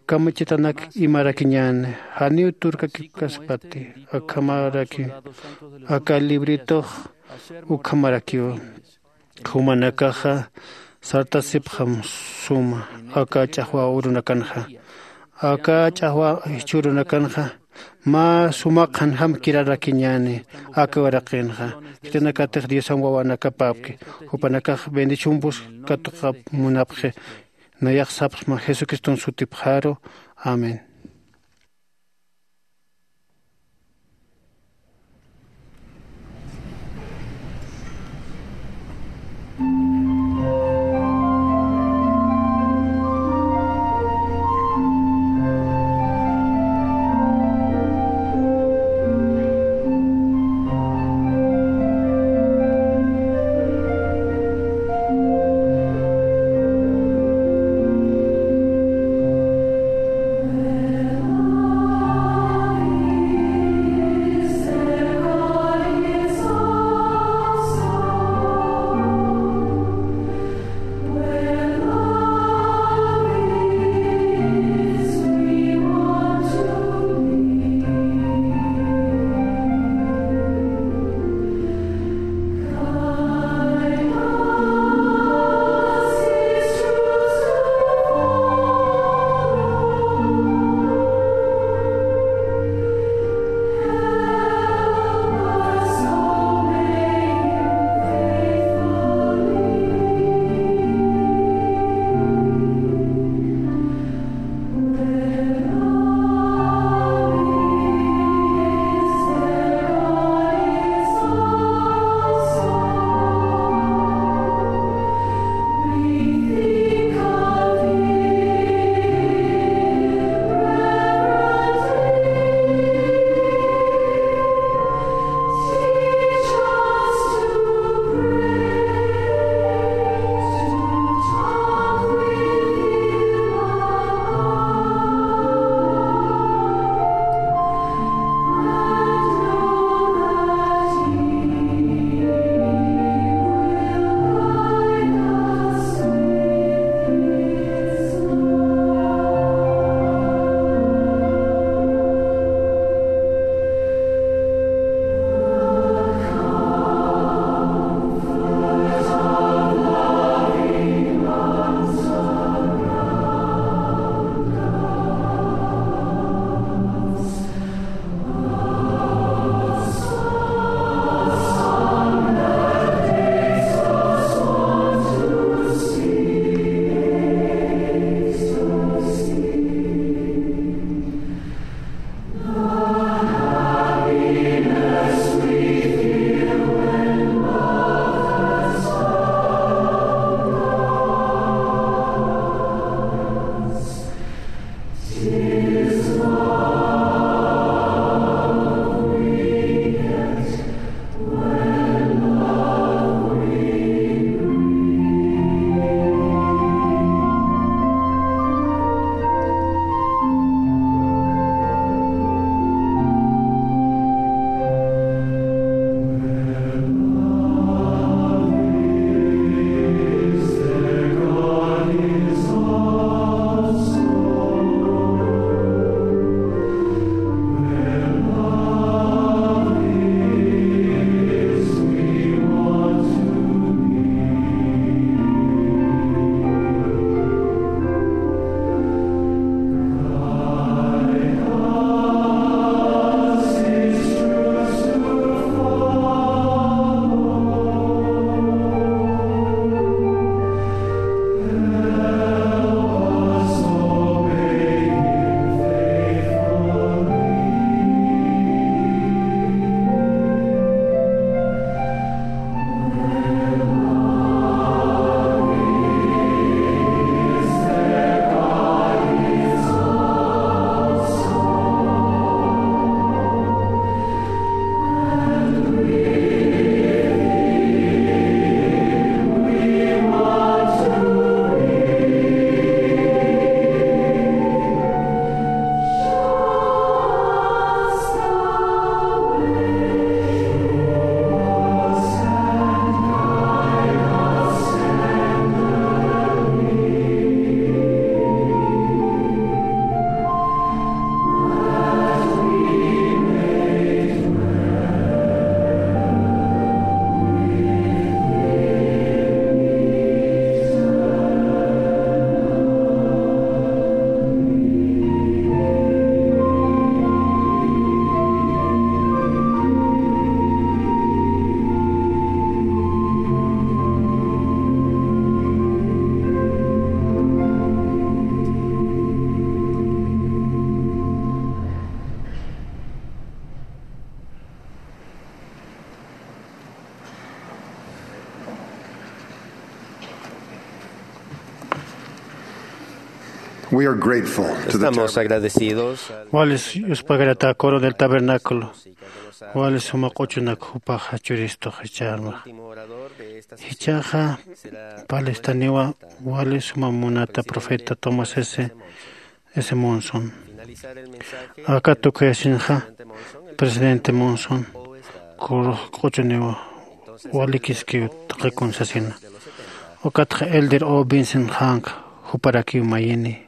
Kamachitanak imarakiñan janiw turkakipkaspati akhamaraki aka libritox ukhamarakiw. Jumanakaxa sartasipxam suma aka ch'axwa urunakanxa. Aka ch'axwa jichhürunakanxa mä sumaqhan jamkirarakiñäni aka uraqinxa. Khitinakatix diosam wawanakapäpki jupanakax bendisyumpus katuqap munapxi. Nayax sapxsma jesucriston sutipxaru. Amén. We are grateful to the Estamos tabernacle. Agradecidos al Wali yuspagarata coro del tabernáculo. Wali suma q'uchunak jupaxa churistux jichharma. Jichhaxa palestaniwa wali suma munata profeta Thomas S. S. Monson. Aka tukuyasinxa presidente Monson kurux q'uchuniwa walikiskiw taqikun sasina. Ukatxa elder O. Vincent Hank juparakiw mayini.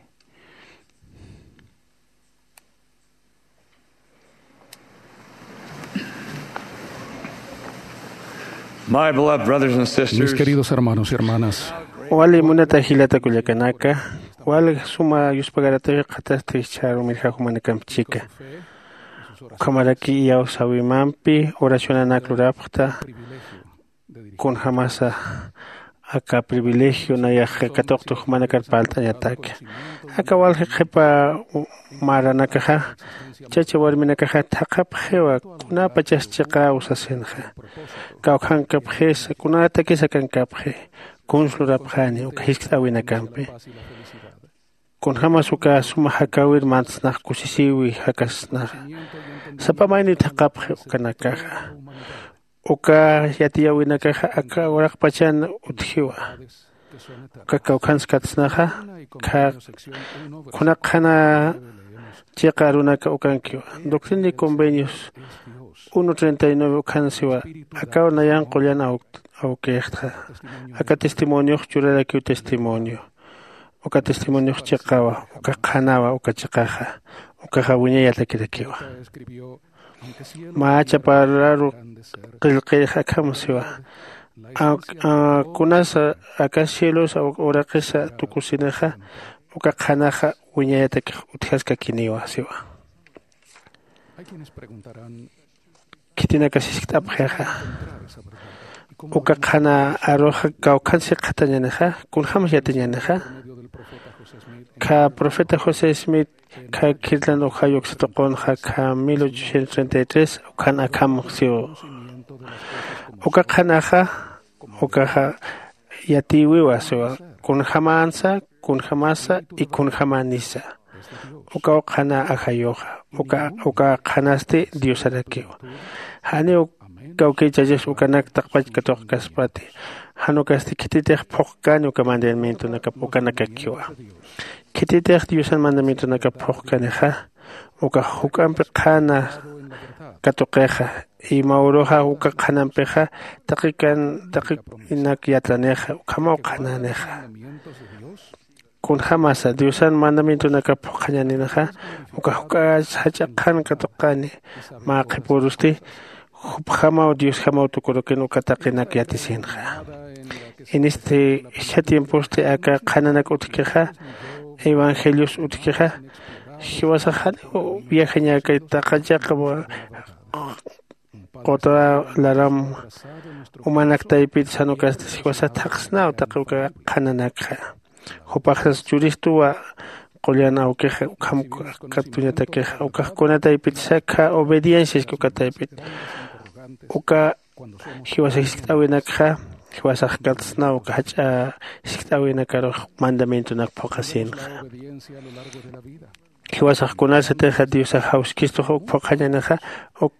My beloved brothers and sisters, mis queridos hermanos y hermanas, wali munata jilata kullakanaka, wali suma yuspagaratawi qhatasti jichharu mirja jumanakamp chika. Ukhamaraki iyawsäwimampi oracionanak lurapxta, kunjamasa aka privilegio nayax katuqtu jumanakar parlt'añataki. Aka walji qhipa maranakaxa, chacha warminakaxa thaqhapxiwa kunapachas chiqäw sasinxa. Kawkhankapxisa, kunatakis akankapxi, kuns lurapxani uka jiskt'äwinakampi. Kunjämas uka suma jakäwir mantsnax kusisïwi jakasnaxa. Sapa mayniw thaqhapxi ukanakaxa. Uka yatiyäwinakaxa aka uraqpachan utjiwa. Uka kawkhans katsnaxa, kuna qhana chiqa arunaka ukankiwa. Doctrina y Convenios uno treinta y nueve ukhan siwa, akaw nayan qullan aw-, awkixtxa. Aka testimoniox churarakiw testimonio. Uka testimoniox chiqawa, uka qhanawa, uka chiqaxa, ukaxa wiñayatakirakiwa. Mä chapararu qillqix akham siwa. A, a, kunasa aka cielos uraqisa tukusinixa, uka qhanaxa wiñayatakix utjaskakiniwa siwa. Khitinakas jiskt'apxixa, uka qhana aruxa kawkhan sikxatañänixa, kunjämas yatiñänixa. Kha profeta José Smith, kha khirtlan ujayu uksa tuqunxa, kha mil ochocientos treinta y tres, ukhan akham siw. Uka qhanaxa, ukaxa yatïwiwa siwa, kunjämänsa, kunjämasa y kunjämänisa. Ukaw qhana ajayuxa, uka, uka qhanasti Diosarakiwa. Janiw kawkïchachas ukanak taqpach katuqkaspati. Jan ukasti khititix phuqkani uka mandamientonakap ukanakakiwa. Khititix Diosan mandamientonakap phuqkanixa, ukax juk'ampi qhana katuqixa, y mä uruxa uka qhanampixa taqikan, taqinak yatranixa, ukhamaw qhananixa. Kunjämasa Diosan mandamientonakap phuqhañaninixa, uka juk'as jach'a qhan katuqani, mä qhipürusti, jupjamaw Diosjamaw tukurukin uka taqinak yatisinxa. Inisti jichha tiemposti aka qhananak utjkixa, evangelios utjkixa, jiwasax janiw viajañäkay taqachaqa quta laram umanak taypit jan ukasti jiwasax thaqsnaw taqi uka qhananakxa. Jupaxas churistuwa qullan awkixa, ukham katuñatakixa, ukax kuna taypitsa kha obediencia iski uka taypit. Uka jiwasax jiskt'äwinakxa, jiwasax katsnaw uka jach'a jiskt'äwinakarux mandamientonak phuqhasinxa. Jiwasax kunasatixa Diosax jawskistux uk phuqhañänixa, uk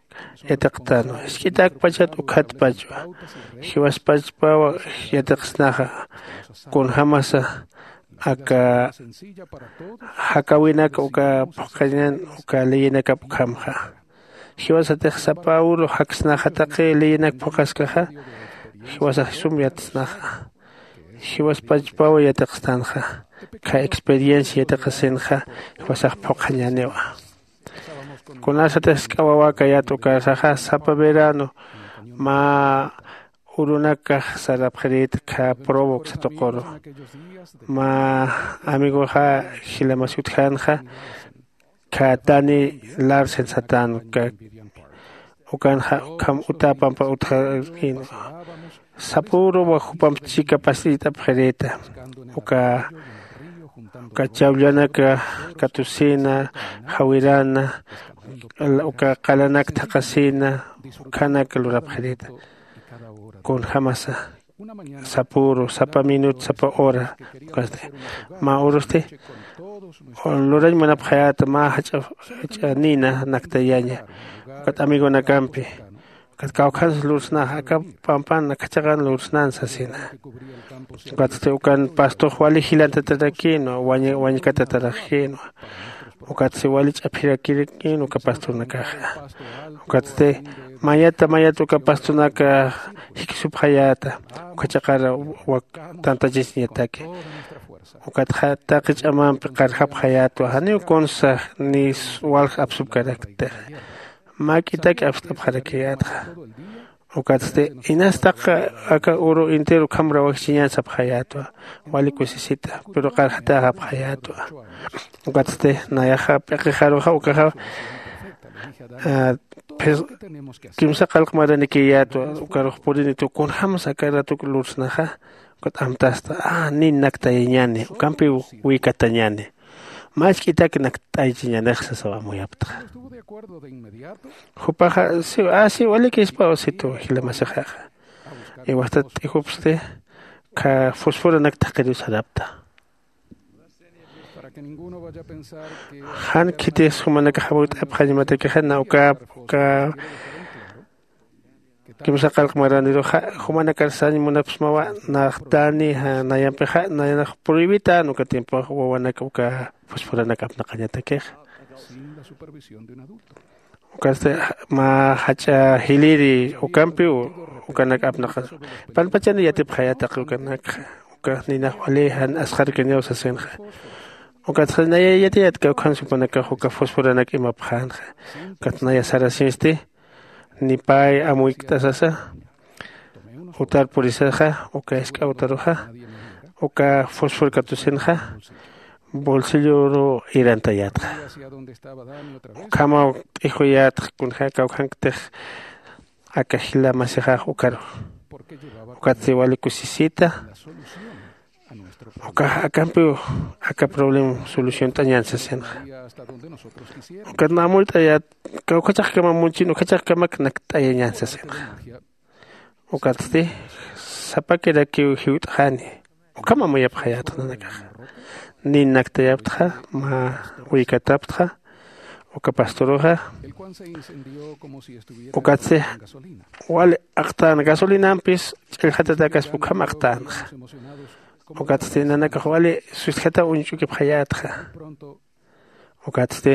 yatiqtänwa. Jisk'itakpachat ukhatpachwa. Jiwaspachpaw yatiqsnaxa, kunjämasa aka jakäwinak uka phuqhañan uka leyinakap ukhamxa. Jiwasatix sapa uru jaksnaxa taqi leyinak phuqhaskaxa, jiwasax sum yatsnaxa. Jiwaspachpaw yatiqstanxa, kha experiencia yatiqasinxa, jiwasax phuqhañäniwa. Kunasatix jisk'a wawäkayät ukasaxa, sapa verano mä urunakax sarapxirït kha Provo uksa tuquru. Mä amigoxa jilamas utjänxa, kha Danny Larsen satän, uka, ukanxa ukham uta pampa utjarïn. Sapüruwa jupamp chika pasit'apxirïta. Uka, uka chawllanaka katusina, jawirana, uka qalanak thaqhasina, ukhanak lurapxirïta. Kunjämasa sapüru, sapa minut, sapa hora, ukasti. Mä urusti lurañ munapxayäta mä jach'a jach'a nina naktayaña. Ukat amigonakampi ukat kawkhans lursnaxa aka pampan akhachaxan lursnan sasina. Ukatsti ukan pastux wali jilantatarakïnwa wañkatatarajïnwa. Ukatsti wali ch'aphirakïnwa uka pastornakaxa. Ukatsti mayata mayata uka pastornaka jikisupxayäta uka chaqara tantachasiñataki. Ukatxa taqi ch'amampi qarjapxayätwa janiw kunsa ni walja apsupkaraktixa. Mä k'itak apst'apxarakiyätxa. Ukatsti inas taq aka uru entero ukham rawajchiñan sapxayätwa. Wali kusisita pero qarjatäxapxayätwa. Ukatsti nayaxa p'iqixaruxa ukaxa kimsa qalq maranikiyätwa. Ukarux purinitwa kunjämsa aka ratuk lursnaxa. Ukat amtasta a nin naktayañani ukampiw wikatañani. Mä isk'itak nakt'aychiñanix sasaw amuyaptxa. Jupaxa siw a siw walikispaw situ jilamasixaxa. Iwastat t'ijupsti kha fosforanak thaqiriw sarapta. Jan khitix jumanakax amuyt'apxañamatakixa na ukap uka kimsa qalq maraniruxa jumanakar sañ munapsmawa. Naxtani nayampixa nayanax prohibitän uka tiempox wawanak uka fosforanak apnaqañatakixa. Ukatsti mä jach'a jiliri ukampiw ukanak apnaqañ panpachani yatipxayätaq ukanakxa. Uka ninax wali jan asqharkaniw sasinxa. Ukatxa naya yatiyät kawkhans jupanakax uka fosforanak imapxänxa. Ukat naya sarasiñsti ni pay amuykta sasa. Utar purisaxa uka isk'a utaruxa uka fosfor katusinxa bolsilloru irantayätxa. Ukhamaw t'ijuyätxa kunjä kawkhanktix aka jila masixax ukaru. Ukatsti wali kusisita ukax akampiw aka problema soluciont'añan sasinxa. Ukat mä amuyt'ayät kawkhachaxkama munchin ukhachaxkamak nakt'ayañan sasinxa. Ukatsti sapakirakiw jiwt'xani ukham amuyapxayätxa nanakaxa. Nin naktayaptxa mä wikataptxa uka pastoruxa. Ukatsti wali aqtän gasolinampis ch'allxatatäkaspa ukham aqtänxa. Ukatsti nanakax wali sustjataw uñch'ukipxayätxa. Ukatsti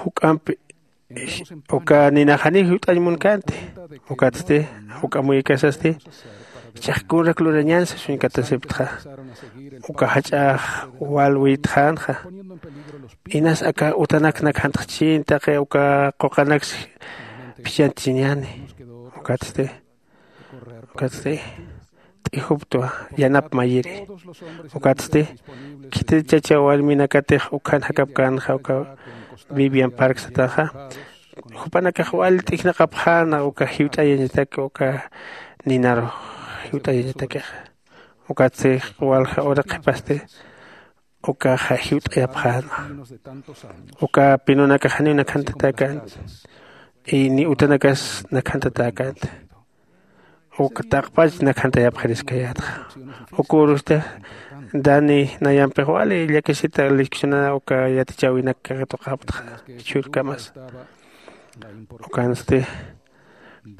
juk'ampi uka ninaxaniw jiwt'añ munkänti. Ukatsti juk'amuyikasasti jichhax kunrak lurañansa suñkatasiptxa. Uka jach'ax wal wiytxänxa. Inas aka utanak nakhantxchin taqi uka quqanaks phichhantchiñäni. Ukatsti ukatsti t'ijuptwa yanap mayiri. Ukatsti khitit chacha warminakatix ukkhan jakapkänxa uka vivian park satanxa. Jupanakax wal t'ijnaqapxäna uka jiwt'ayañatak uka ninarux jiwt'ayañatakixa. Ukatsti walja ura qhipasti ukaxa jiwt'ayapxänwa. Uka pinunakax janiw nakhantatakänt y ni utanakas nakhantatakänt. Uk taqpach nakhantayapxiriskayätxa. Uka urusti dani nayampix wali llakisita leccionana uka yatichäwinak katuqaptxa jichhürkamas. Ukansti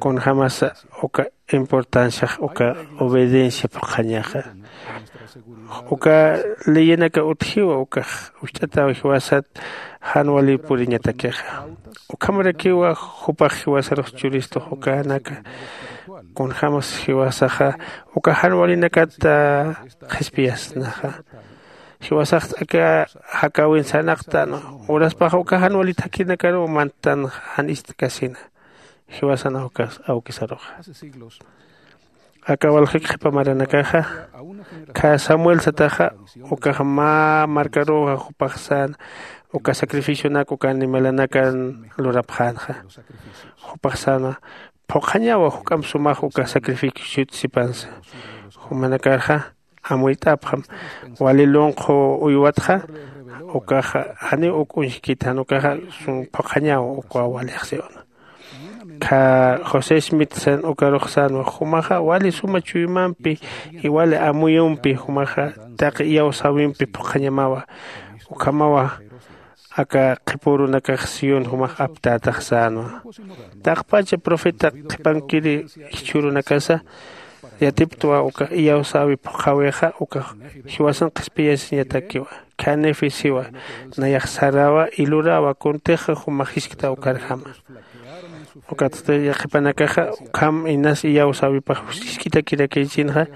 kunjämasa uka importanciax uka obediencia phuqhañaxa. Uka leyinaka utjiwa ukax ujch'ataw jiwasat jan wali puriñatakixa. Ukhamarakiwa jupax jiwasarux churistux ukanaka kunjämas jiwasaxa uka jan walinakat qhispiyasnaxa. Jiwasax aka jakäwin sarnaqtänwa uraspax uka jan wali thakhinakaruw manttan jan ist'kasina. Jiwasan awkisaruxa aka walxik qhipa maranakaxa khä samuel sataxa ukax mä markaruxa jupax säna uka sacrificionak uka animalanakan lurapxänxa. Jupax säna phuqhañawa juk'amp sumax uka sacrificiot sipansa. Jumanakarxa amuyt'apxam wali lunqhu uywatxa ukaxa janiw uk uñjkit jan ukaxa phuqhañawa ukwa walix siwna. Kha josé smith san ukarux sänwa jumaxa wali suma chuymampi y wali amuyumpi jumaxa taqi iyawsäwimpi phuqhañamawa. Ukhamawa aka qhipürunakax sión jumax aptätax sänwa. Taqpacha profeta qhipankiri jichhürunakasa yatiptwa uka iyawsäwi phuqhäwixa uka jiwasan qhispiyasiñatakiwa. Khanifi siwa nayax sarawa y lurawa kuntixa jumax jiskta ukarjama. Ukatsti yaqhipanakaxa ukham inas iyawsäwipax jisk'itakirakïchinxa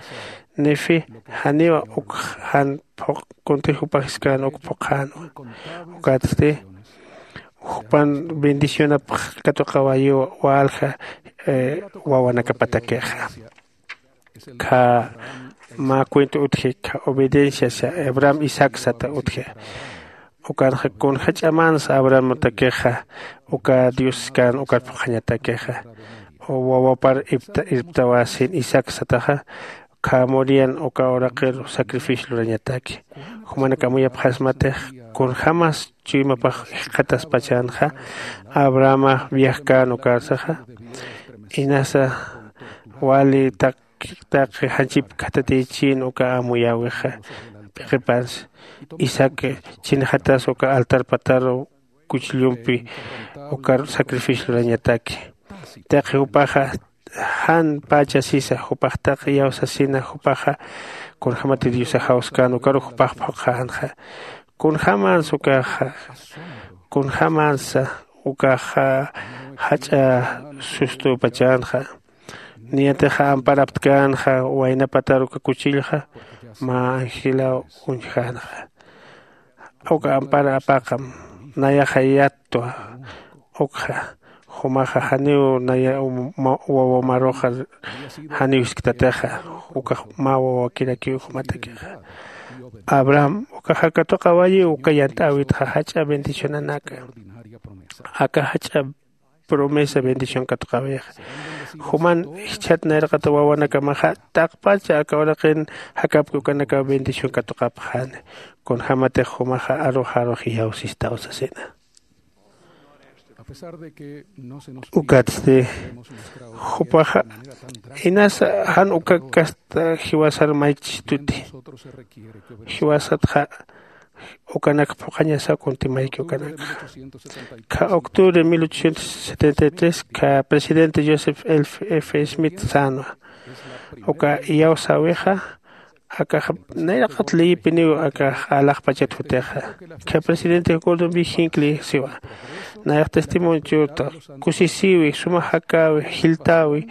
nifi janiwa uk jan phuq kuntix jupax jiskäna uk phuqhänwa. Ukatsti jupan bendicionapx katuqawayiw walja wawanakapatakixa. Kha mä cuento utji kha obediencia sa abraham isaac sata utji. Ukanxa kunja ch'amansa abrahamatakixa uka dios skäna ukar phuqhañatakixa wawapar irptawasin isaac sataxa. Kha morian uka uraqiru sacrificio lurañataki. Jumanak amuyapxasmatix kunjämas chuymapax jikxataspachänxa abrahamax viajkän ukarsaxa. Inasa wali taq taqi janchip khatatichïn uka amuyäwixa. P'iqipansa isaac chinxatas uka altar pataru kuchillumpi ukar sacrificio lurañataki. Taqi jupaxa jan pacha sisa jupax taqi iyawsasina jupaxa kunjämati diosax jawskän ukarux jupax phuqhänxa. Kunjämansa ukaxa kunjämansa ukaxa jach'a sustupachänxa. Niyatixa amparaptkänxa waynapatar uka kuchillxa mä angilaw uñjänxa. Uka ampara apaqam nayaxa yattwa ukxa jumaxa janiw naya wawamaruxa janiw jisktatixa. Ukax mä wawakirakiw jumatakixa. Abraham ukaxa katuqawayiw uka yant'äwitxa jach'a bendicionanaka aka jach'a promesa bendición katuqawixa. Juman jichhat nayraqata wawanakamaxa taqpacha aka uraqin jakapki ukanakaw bendición katuqapxani. Kunjämatix jumaxa arux arux iyawsistaw sasina. Ukatsti jupaxa inasa jan uka kasta jiwasar maychistuti. Jiwasatxa ukanak phuqhañasa kunti mayki ukanakxa. Kha octubre mil ochocientos setenta y tres kha presidente joseph f smith sänwa uka iyawsäwixa akax nayraqat leyipiniw akax alaxpachat jutixa. Kha presidente gordon b hinckley siwa nayax testimoniotu kusisiwi suma jakäwi jilltäwi.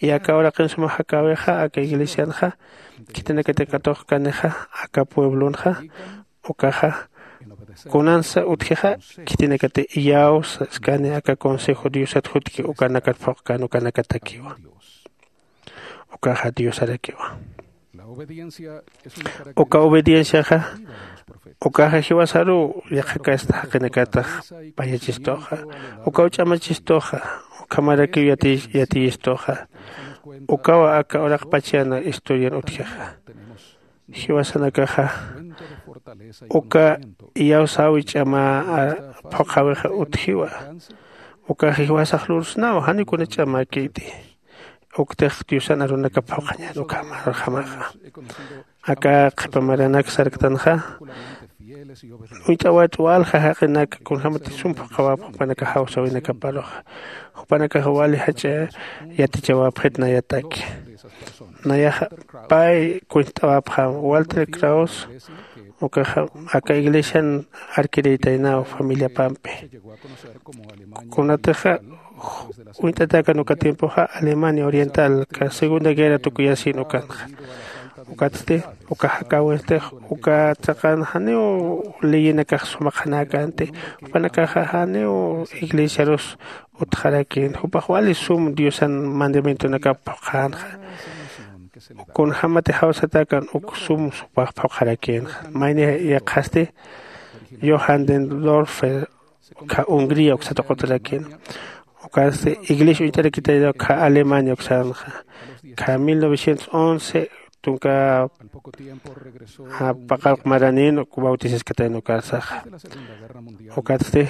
Y aka uraqin suma jakäwixa aka iglesianxa khitinakati katuqkanixa aka pueblonxa ukaxa kunansa utjixa khitinakati iyawsa skani aka consejo diosat jutki ukanakat phuqkän ukanakatakiwa. Ukaxa diosarakiwa. Uka obedienciaxa ukaxa jiwasaruw yaqhakasta jaqinakatax payachistuxa. Ukaw ch'amachistuxa ukhamarakiw yatiyistuxa. Ukawa aka uraqpachana historian utjixa. Jiwasanakaxa uka iyawsäwi ch'ama phuqhäwixa utjiwa. Ukaxa jiwasax lursnaw janiw kuna ch'amäkiti. Uktix diosan arunakap phuqhañän ukham arxamaxa. Aka qhipa maranak sarktanxa uñt'awat walja jaqinak kunjämati sum phuqhawap jupanakax jawsäwinakaparuxa. Jupanakax wali jach'a yatichawapxit nayataki. Nayaxa pay kuñt'awapxam walter kraus ukaxa aka iglesian arkiriytaynaw familiapampi. Kunatixa uñt'atakan uka tiempoxa alemania oriental ka segunda guerra tukuyasin ukanxa. Ukatsti uka jakäwistix uka chaqan janiw leyinakax sumaqanäkänti. Jupanakaxa janiw iglesiarus utxarakïn jupax wali sum diosan mandamientonakap phuqhänxa. Kunjämati jawsatäkan uk sum supax phuqharakïnxa mayni yaqhasti johan dendorfer kha hungría uksata qutarakïna. Ukasti iglesia uñt'arakitayna kha alemania uksanxa kha mil novecientos once tunka paqallq maranïn bautizaskatayna ukarsaxa. Ukatsti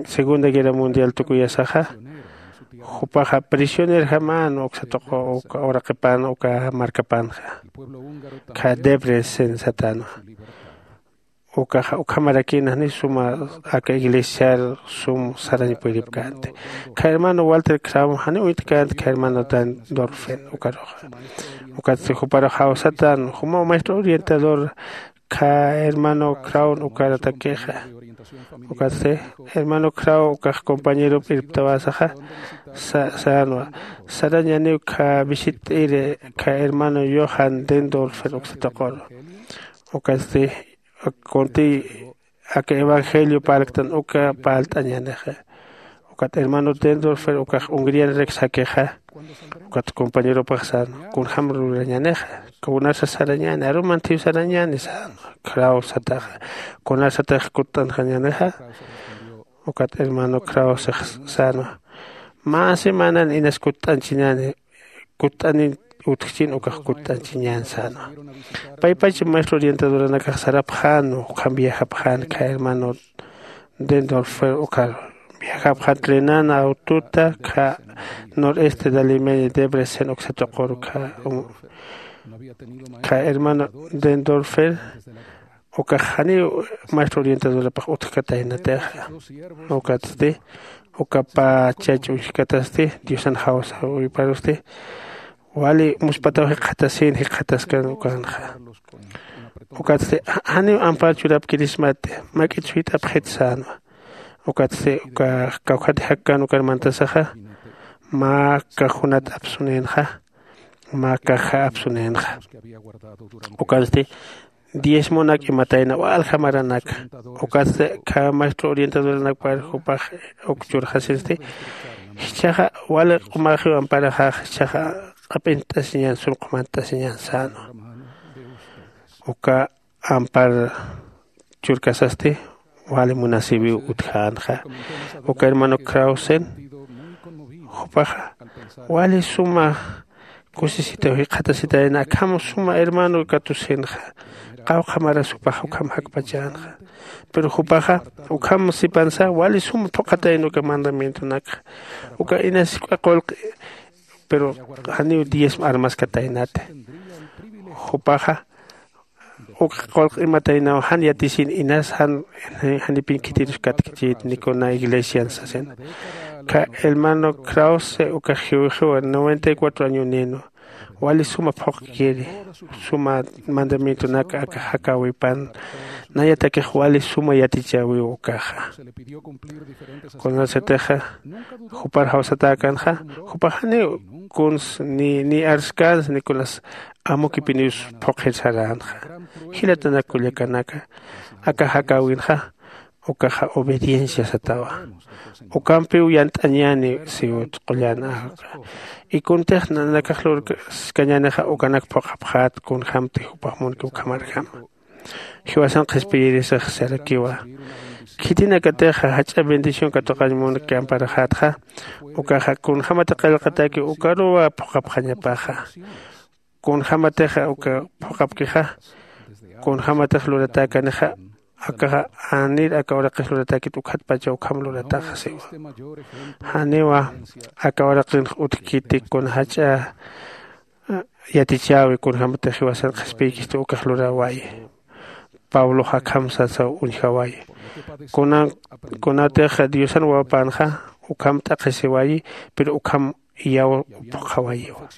segunda guerra mundial tukuyasaxa Jupaxa prisionerjamän uksa tuqu uka uraqipan uka markapanxa. Kha debrecen satänwa. Ukaxa ukhamarakïna janiw suma aka iglesiar sum sarañ puripkänti. Kha hermano walter kraw janiw uñtkänti kha hermano dan dorfen ukaruxa. Ukatsti juparux jawsatän jumaw maestro orientador kha hermano krawn ukaratakixa. Ukatsti hermano kraw ukax compañerop irptawasaxa sänwa sarañaniw kha visit'iri kha hermano yohan dendorfer uksataquru. Ukatsti kuntiy aka evangelio parlktan uka parlt'añänixa. Ukat hermano dendorfer ukax hungrianrak sakixa. Ukat compañeropax sänwa kunjäm lurañänixa kunasa sarañäni arumantiw sarañäni sänwa kraw sataxa. Kunasatix kutt'anxañänixa. Ukat hermano kraw six sänwa mä semanan inas kutt'anchiñäni. Kutt'anin utjchin ukax kutt'anchiñän sänwa. Paypach maestro orientadoranakax sarapxänwa ukham viajapxän kha hermano dendorfer ukhar viajapxän trenan autota kha noreste de alemania debrecen uksa tuqur kha kha hermano dendorfer ukax janiw maestro orientadorapax utjkataynatixa. Ukatsti uka pä chach uñjkatasti diosan jawsawiparusti wali muspataw jikxatasin jikxataskan ukanxa. Ukatsti janiw ampar churapkirismati mak'it suyt'apxit sänwa. Ukatsti uka kawkhati jakkan ukar mantasaxa mä kajunat apsunïnxa mä kaja apsunïnxa. Ukatsti diezmonak imatayna walja maranaka. Ukatsti kha maestro orientadoranakpar jupax uk churxasinsti jichhaxa wali q'umaxiw amparaxax jichhaxa q'ap'int'asiñan sum q'umant'asiñan sänwa. Uka ampar churkasasti wali munasiwiw utjänxa. Uka hermano krausen jupaxa wali suma kusisitaw jikxatasitayna akham suma hermano katusinxa. Qawqha maras jupax ukham jakpachänxa. Pero jupaxa ukham sipansa wali suma phuqhatayna uka mandamientonakxa. Uka inas juk'a qullqi pero janiw diezmo armaskataynati. Jupaxa uk qullq imataynaw jan yatisin inas jan janipin khitirus katkchit ni kuna iglesian sasin. Kha hermano krause ukax jiwixiwa noventa y cuatro añonïnwa. Wali suma phuqkiri suma mandamientonaka aka jakäwipan. Nayatakix wali suma yatichäwiw ukaxa. Kunasatixa jupar jawsatäkänxa jupax janiw kuns ni ni arskäns ni kunas amukipiniws phuqhir saränxa. Jilatanak kullakanaka aka jakäwinxa ukaxa obediencia satawa. Ukampiw yant'añäni siwt qullan aka. Y kuntix nanakax lurkañänixa ukanak phuqhapxät kunjämti jupax munki ukhamarjama. Jiwasan qhispiyirisix sarakiwa. Khitinakatixa jach'a bendición katuqañ munki amparaxätxa ukaxa kunjämati qillqataki ukaruwa phuqhapxañapaxa. Kunjämatixa uka phuqhapkixa kunjämatix luratäkanixa akaxa anir aka uraqix luratäkit ukhatpacha ukham lurataxa siwa. Janiwa aka uraqinx utjkiti kuna jach'a yatichäwi kunjämatix jiwasan qhispiykisti ukax luräwayi. Pablox akham sasaw uñjawayi. Kunatix diosan wawapanxa ukham t'aqhisiwayi pero ukham iyaw phuqhawayiwa.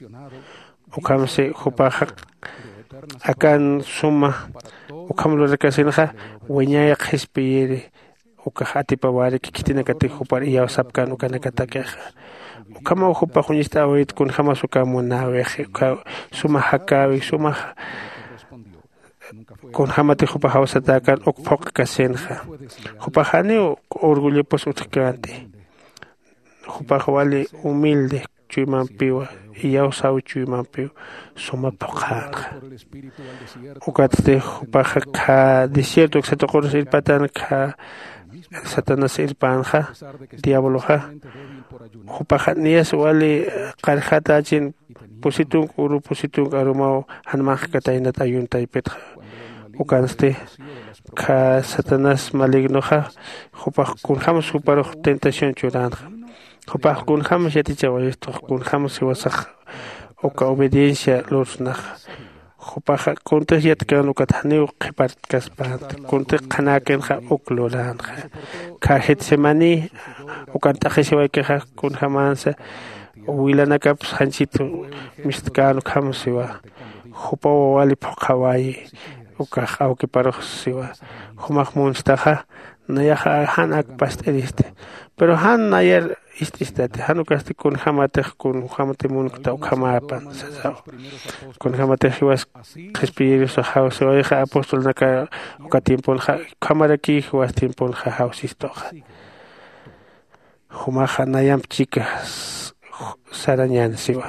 Ukhamsi jupaxa akan suma ukham lurakasinxa wiñay qhispiyiri ukax atipawariki khitinakatix jupar iyawsapkän ukanakatakixa. Ukhamaw jupax uñist'äwit kunjämas uka munäwixi uka suma jakäwi sumax kunjämatix jupax jawsatäkän uk phuqkasinxa. Jupax janiw orgullopus utjkänti. Jupax wali humilde chuymampiwa iyawsäwi chuymampiw suma phuqhänxa. Ukatsti jupax kha desierto uksa tuqurus irpatan kha satanás irpänxa diabloxa. Jupaxa niyas wali qarjatächin pusi tunka uru pusi tunka arumaw jan manq'kataynat ayuntaypitxa. Ukansti kha satanás malignoxa jupax kunjämas juparux tentación churänxa. Jupax kunjämas yatichawayistux kunjämas jiwasax uka obediencia lursnaxa. Jupaxa kuntix yatkän ukat janiw qhipartkaspänti kuntix qhanäkinxa uk luränxa. Kha getsemaní ukan t'aqhisiwaykixa kunjämänsa wilanakapsa janchit mistkän ukham siwa. Jupaw wali phuqhaway ukax awkiparux siwa. Jumax munstaxa nayaxa jan ak past'iristi. Pero jan nayar ist'istati jan ukasti kunjämatix kunjämati munkta ukhamäpan sasaw. Kunjämatix jiwas qhispiyirusax jawsiwayxa apostolnaka uka tiemponxa ukhamaraki jiwas tiemponxa jawsistuxa. Jumaxa nayamp chika sarañän siwa.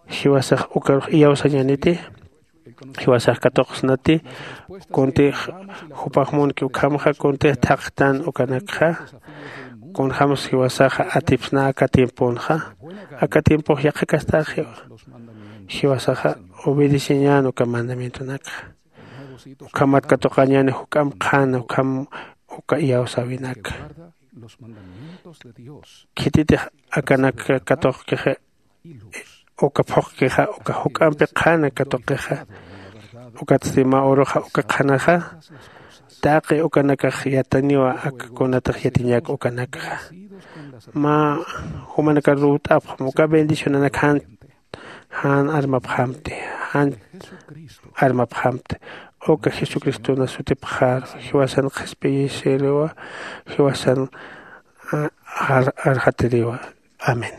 Jiwasax ukarux iyawsañäniti. Jiwasax katuqsnati. Kuntix jupax munki ukhamxa kuntix thaqtan ukanakxa. Kunjämsa jiwasaxa atipsna aka tiemponxa. Aka tiempox yaqhakastaxiwa. Jiwasaxa obedeceñän uka mandamientonakxa. Ukhamat katuqañäni juk'amp qhana ukham uka iyawsäwinaka. Khititix akanak katuqkixa uka phuqkixa uka juk'ampi qhana katuqixa. Ukatsti mä uruxa uka qhanaxa taqi ukanakax yataniwa aka kunatix yatiñak ukanakxa. Mä jumanakar ruwt'apxam uka bendicionanak jan jan armapxamti jan armapxamti. Uka jesucristona sutipxaru jiwasan qhispiyisiriwa. Jiwasan arxatiriwa. Amén.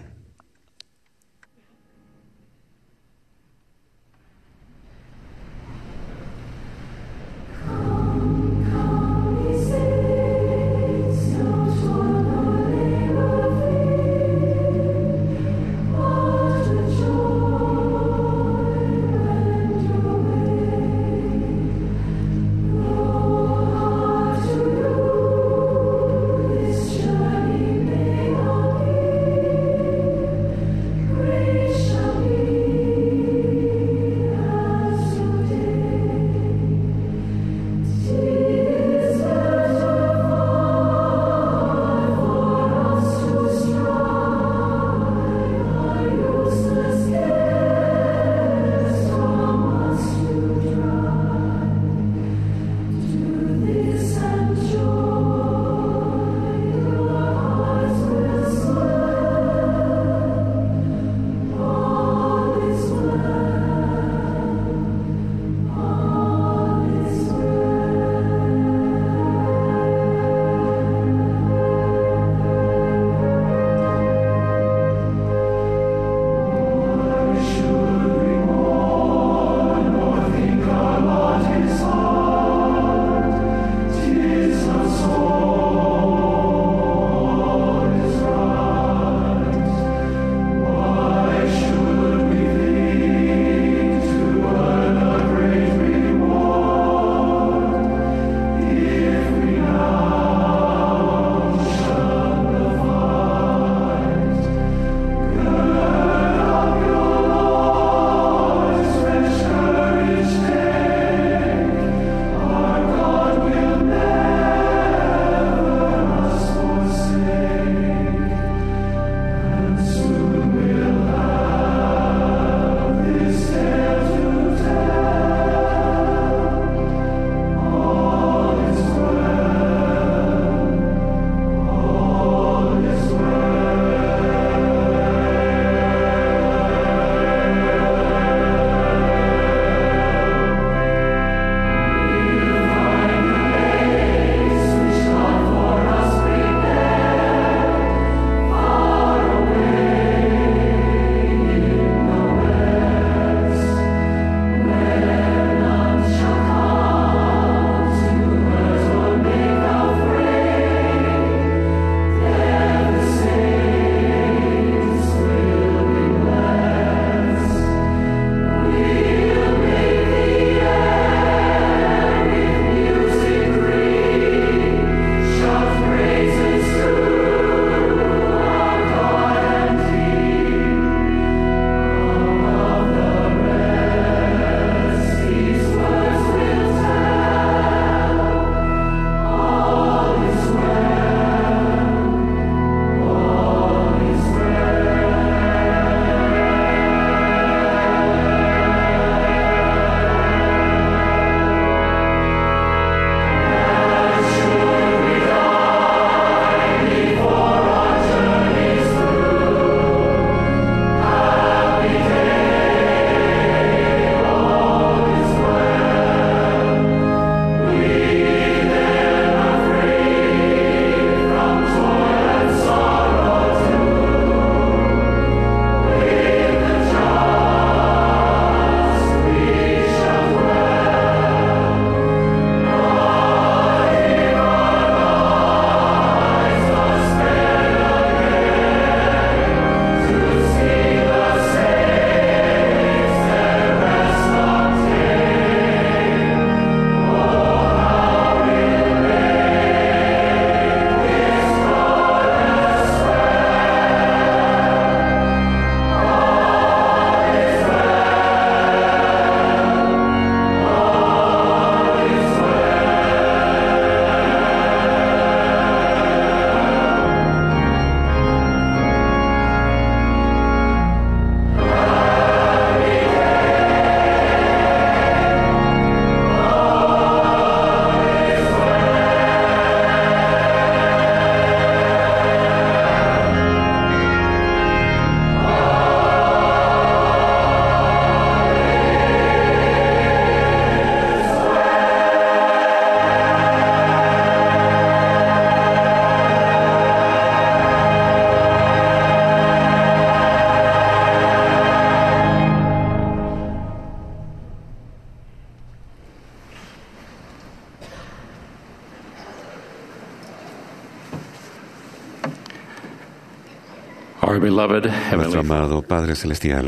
Our beloved Heavenly Nuestro amado Padre Celestial.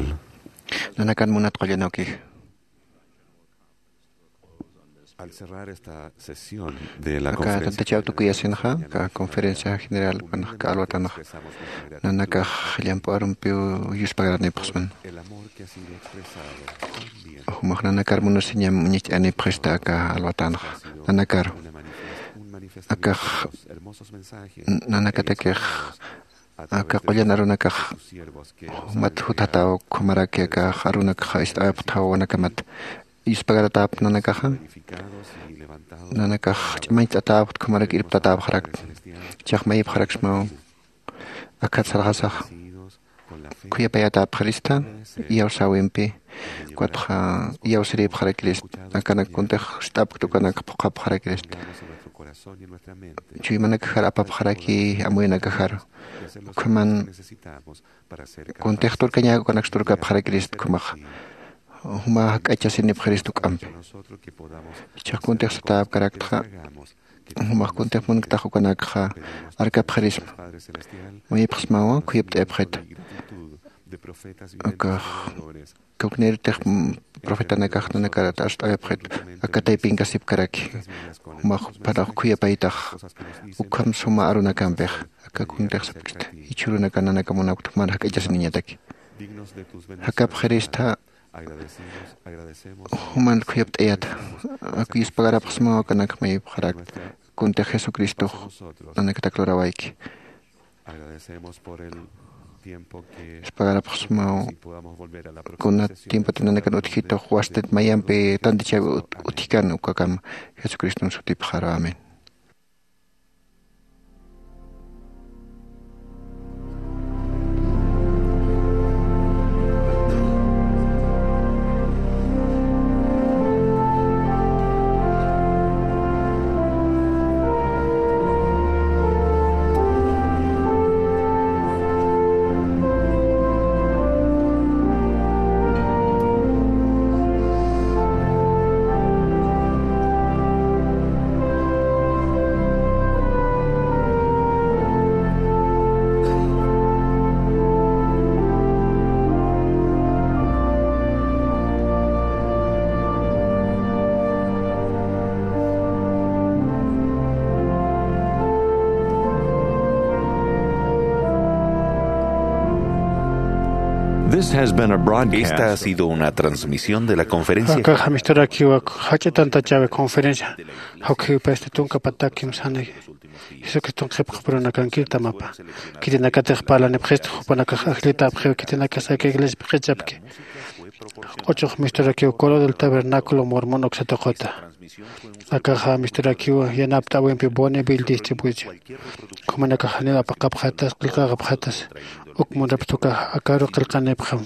Nanakan munat qullan awkix. Al cerrar esta sesión de la Aka conferencia tantachaw general tukuyasinxa, general aka conferencia general, ukanxa aka alwatanxa, nanakax llamp'u arumpiw yuspagarnipxsman. El amor que ha sido expresado tan bien. Jumax nanakar munasiñam uñacht'anipxista aka alwatanxa. Nanakar. Una manifest-, un manifestamiento Akax de los hermosos mensajes n-, nanakatakix, aka qullan arunakax jumat jutataw, ukhamaraki akax arunakax ist'awayapxtawanakamata. Yuspagaratäpxta nanakaxa, nanakax ch'amañch'atäpxta, ukhamaraki irptatäpxarakta. Chax mayipxaraksmaw, akhat sarxasax, khuyapayatäpxirista iyawsäwimpi, ukatxa iyawsiripxarakirista, akanak kuntix ist'apkta ukanak phuqhapxarakirista. Chuymanakajar apapxaraki amuyunakajar. Ukhaman kuntix turkañäk ukanaks turkapxarakirista ukhamaxa. Juma jak'achasinipxirista juk'ampi. Jichhax kuntix satäpkaraktxa, jumax kuntix munktax ukanakxa arkapxirisma. Mayipxsmawa, khuyapt'ayapxita. Akax, kawknïritix, mm, profetanakax nanakarat arst'awayapxita, aka taypinkasipkaraki. Jumax panax khuyapaytax, ukham suma arunakampix, aka kuntix sapkista, jichhürunakan nanaka munapkta, juman jak'achasiniñataki. Jakapxirista, juman khuyapt'ayata, aku yuspagarapxsmaw, akanak mayipxarakta, kuntix Jesucristox nanakatak lurawayki. Yuspagarapxsmaw, kunat tiempota nanakan utjitux, wastit mayampi tantichawi ut-, utjkan ukakam, Jesucriston sutipxaru. Amén. This has been a broadcast. Esta ha sido una transmisión de la conferencia. Akax amisturakiwa jach'a tantachawi conferencia. Jawkhiwipasti tunka patakim sani Jesucriston qhipxapurunakankir tamapa. Khitinakatix parlanipxista, jupanakax ajllitäpxiw, khitinakasa aka iglesiap q'ichapki. Q'uchux misturakiw Coro del Tabernáculo Mormon uksa tuquta. Akaxa misturakiw yanapt'äwimpi Bonneville distribución. Jumanakax janiw apaqapxatas, qillqaqapxatas, uk munrapxta ukax akaru qillqanipxam.